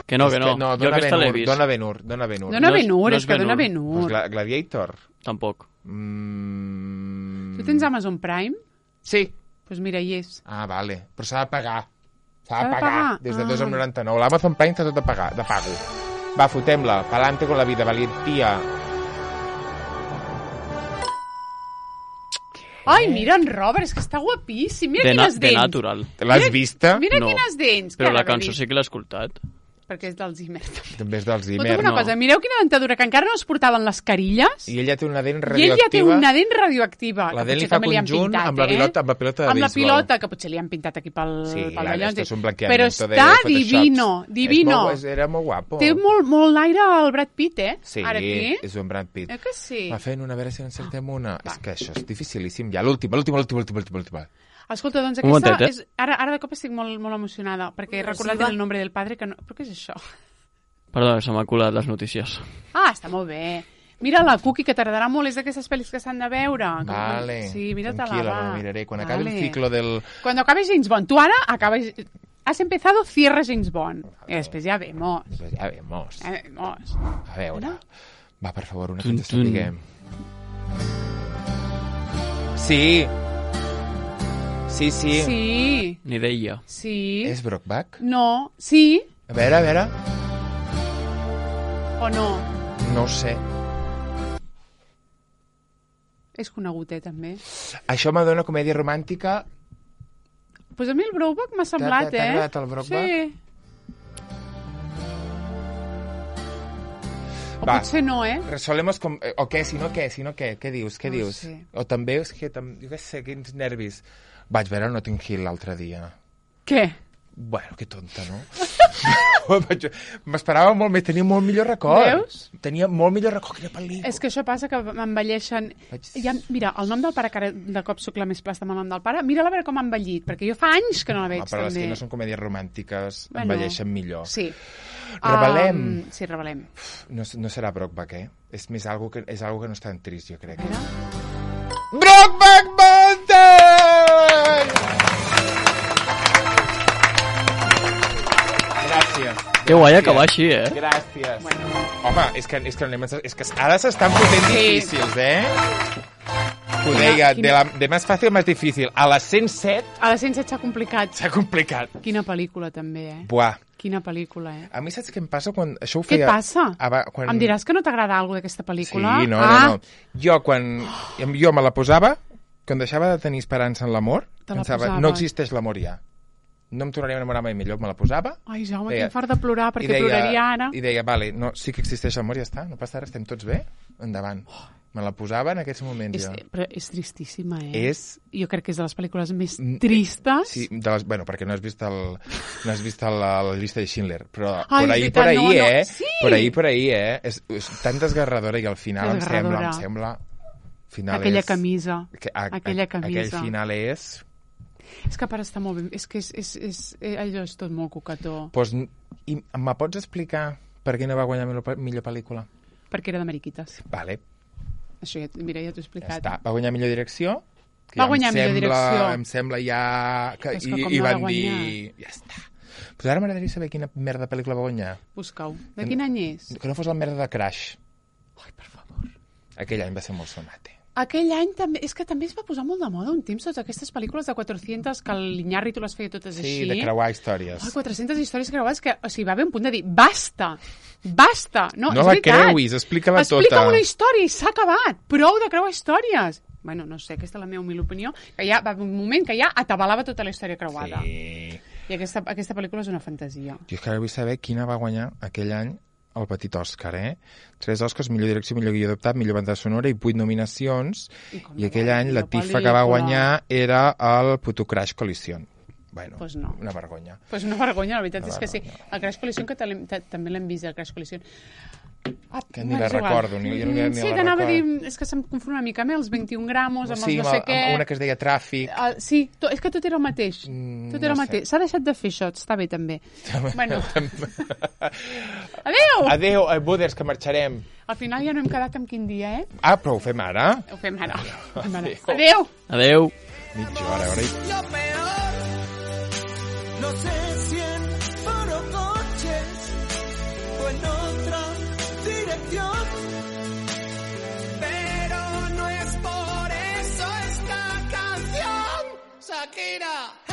Que no, És que no. no jo dona aquesta l'he Ben-Hur, vist. dona Ben-Hur, dona Ben-Hur. Dona No és- Ben-Hur, no és és que dona Ben-Hur. Ben-Hur. Pues Gla Gladiator. Tampoc. Mm... Tu tens Amazon Prime? Sí. Doncs pues mira, hi és. Ah, vale. Però s'ha de pagar. S'ha S'ha de de pagar. pagar? Des de Ah. dos coma noranta-nou. L'Amazon Prime està tot de, pagar, de pago. Va, fotem-la. Pa'lante con la vida, valentía. Ai, mira en Robert, és que està guapíssim. Mira De, na quines de dents. natural. L'has Mira- vista? Mira No. quines dents. Però que la ara cançó dic. sí que l'he escoltat. Perquè és del Zimmer. també. També és del Però Zimmer, una no? cosa, mireu quina dentadura, que encara no es portaven les carilles. I ella té una dent I ell radioactiva. ja té una dent radioactiva. La que dent li potser fa també li han conjunt pintat, amb la eh? pilota, amb la pilota de Amb la béisbol. pilota, que potser li han pintat aquí pel, Sí, pel clar, dallò. esto és un Però blanqueamiento de està Photoshop. divino, divino. És molt, era molt guapo. Té molt, molt l'aire al Brad Pitt, eh? Sí, Ara aquí. és un Brad Pitt. Eh que sí? Va fent una, a veure si encertem una. És que això és dificilíssim. Ja, l'última, l'última, l'última, l'última, l'última, l'última. Escolta, doncs Un aquesta... momentet, eh? És... Ara, ara de cop estic molt, molt emocionada, perquè he recordat va. el nombre del padre, que no... Però què és això? Perdó, se m'ha colat les notícies. Ah, està molt bé. Mira la Cookie, que t'agradarà molt, és d'aquestes pel·lis que s'han de veure. Vale, Sí, mira-te-la, tranquila, va. me la miraré. Quan acabi el Vale. ciclo del... Cuando acabe James Bond. Tú ahora acabas... Has empezado, cierra James Bond. Y después ya vemos. Pues ja vemos. Ya vemos. A veure. Va, per favor, una que Tun, ens tun. sapiguem. Sí. Sí, sí. Sí. Ni d'ella. Sí. És Brokeback? No. Sí. A veure, a veure. O no. No ho sé. És conegut, eh, també. Això m'adona comèdia romàntica. Pues a mi el Brokeback m'ha semblat, t'ha eh? agradat el Brokeback? Sí. O Va. potser no, eh? Resolemos com... eh, O què, si no què, si no què? Què dius, què No dius? sé. O també és que... Tam... Jo què sé, quins nervis. Vaig veure Notting Hill l'altre dia. Què? Bueno, que tonta, no? M'esperava molt més, tenia molt millor record. Veus? Tenia molt millor record. Quina pel·lícula. És que això passa que m'envelleixen... Vaig- Ja, mira, el nom del pare, que ara de cop sóc la més plasta amb el nom del pare, mira-la a veure com ha envellit, perquè jo fa anys que no la veig, Ah, però les també. que no són comèdies romàntiques Bueno, envelleixen millor. Sí. Revelem. Um, sí, revelem. No, no serà Brokeback, eh? És més algo que, és algo que no és tan trist, jo crec. Mira. Brokeback Mountain! Gràcies. Que guai acabar així, eh? Gràcies. Bueno. Home, és que, és que, anem, és que ara s'estan fotent difícils, eh? Ho deia, de, la, de més fàcil a més difícil. A les cent set A les cent set s'ha complicat. s'ha complicat. Quina pel·lícula, també, eh? Buah. Quina pel·lícula, eh? A mi saps què em passa quan... Això ho Què et feia... passa? Aba, quan... Em diràs que no t'agrada alguna d'aquesta pel·lícula? Sí, no, ah. no, no. Jo, quan... Jo me la posava, quan deixava de tenir esperança en l'amor, Te la pensava, posaves. no existeix l'amor ja. No em tornaria a enamorar mai millor, me la posava. Ai, Jaume, Deia- que em fart de plorar, perquè i deia, ploraria ara. I deia, vale, no, sí que existeix l'amor, ja està, no passa res, estem tots bé, endavant. Me la posava en aquests moments, És, jo. però és tristíssima, eh? És... Jo crec que és de les pel·lícules més tristes. Sí, de les, bueno, perquè no has vist, el, no has vist el, la llista de Schindler, però Ai, por ahí, és por veritat, ahí, no, no. eh? Sí! Por ahí, por ahí, eh? És, és tan desgarradora i al final em sembla, Desgarradora. em sembla... Final Aquella és, camisa. Que, a, Aquella a, camisa. Aquell final és... És que a part està molt ben... És que és, és, és, és, allò és tot molt coquetó. Pues, i me pots explicar per què no va guanyar millor, millor pel·lícula? Perquè era de Mariquites. Vale, Això ja, mira, ja t'ho he ja explicat. està. Va guanyar millor direcció? Que Va ja em guanyar millor sembla, direcció. Em sembla ja... Que, Però és que i, com I no va van dir... guanyar? Ja està. Però ara m'agradaria saber quina merda de pel·lícula va guanyar. Busca-ho. De quin any és? Que no fos la merda de Crash. Ai, per favor. Aquell any va ser molt sonat, eh? Aquell any també... És que també es va posar molt de moda un temps totes aquestes pel·lícules de quatre-centes que l'Iñárritu les feia totes Sí, així. de creuar històries. Ai, quatre-centes històries creuades que... O sigui, va haver un punt de dir, basta! Basta! No, No és la veritat. creuis, explica-la tota. Explica una història i s'ha acabat. Prou de creuar històries. Bueno, no sé, aquesta és la meva humil opinió, que ja va haver un moment que ja atabalava tota la història creuada. Sí. I aquesta, aquesta pel·lícula és una fantasia. Jo és que ara vull saber quina va guanyar aquell any el petit Òscar, eh? Tres Òscars, millor direcció, millor guió adaptat, millor banda sonora i vuit nominacions. I com I no aquell va, any la millor tifa que va pel·lícula. guanyar era el Puto Crash Collision. Bueno, Pues no. una vergonya. Pues una vergonya, la veritat Una és que sí. vergonya. El Crash Collision, que te- te- també l'hem vist, el Crash Collision. Ah, Que ni bueno, la és igual. recordo, ni- jo ni- ni Sí, la que anava a dir... recordo. És que se'm confon una mica, amb els vint-i-un gramos, amb Sí, els no amb, sé el- què... amb una que es deia Tràfic. Uh, sí, to, és que tot era el mateix. Mm, Tot era el no mateix. sé. S'ha deixat de fer això, està bé també. bueno. Adéu! Adéu, eh, Buders, que marxarem. Al final ja no hem quedat amb quin dia, eh? Ah, però ho fem ara? Ho fem ara. Ho fem ara. Adéu. Adéu! Adeu. Mitja hora, hora i... Lo peor, no sé si en Forocoches o en otra dirección, pero no es por eso esta canción, Shakira.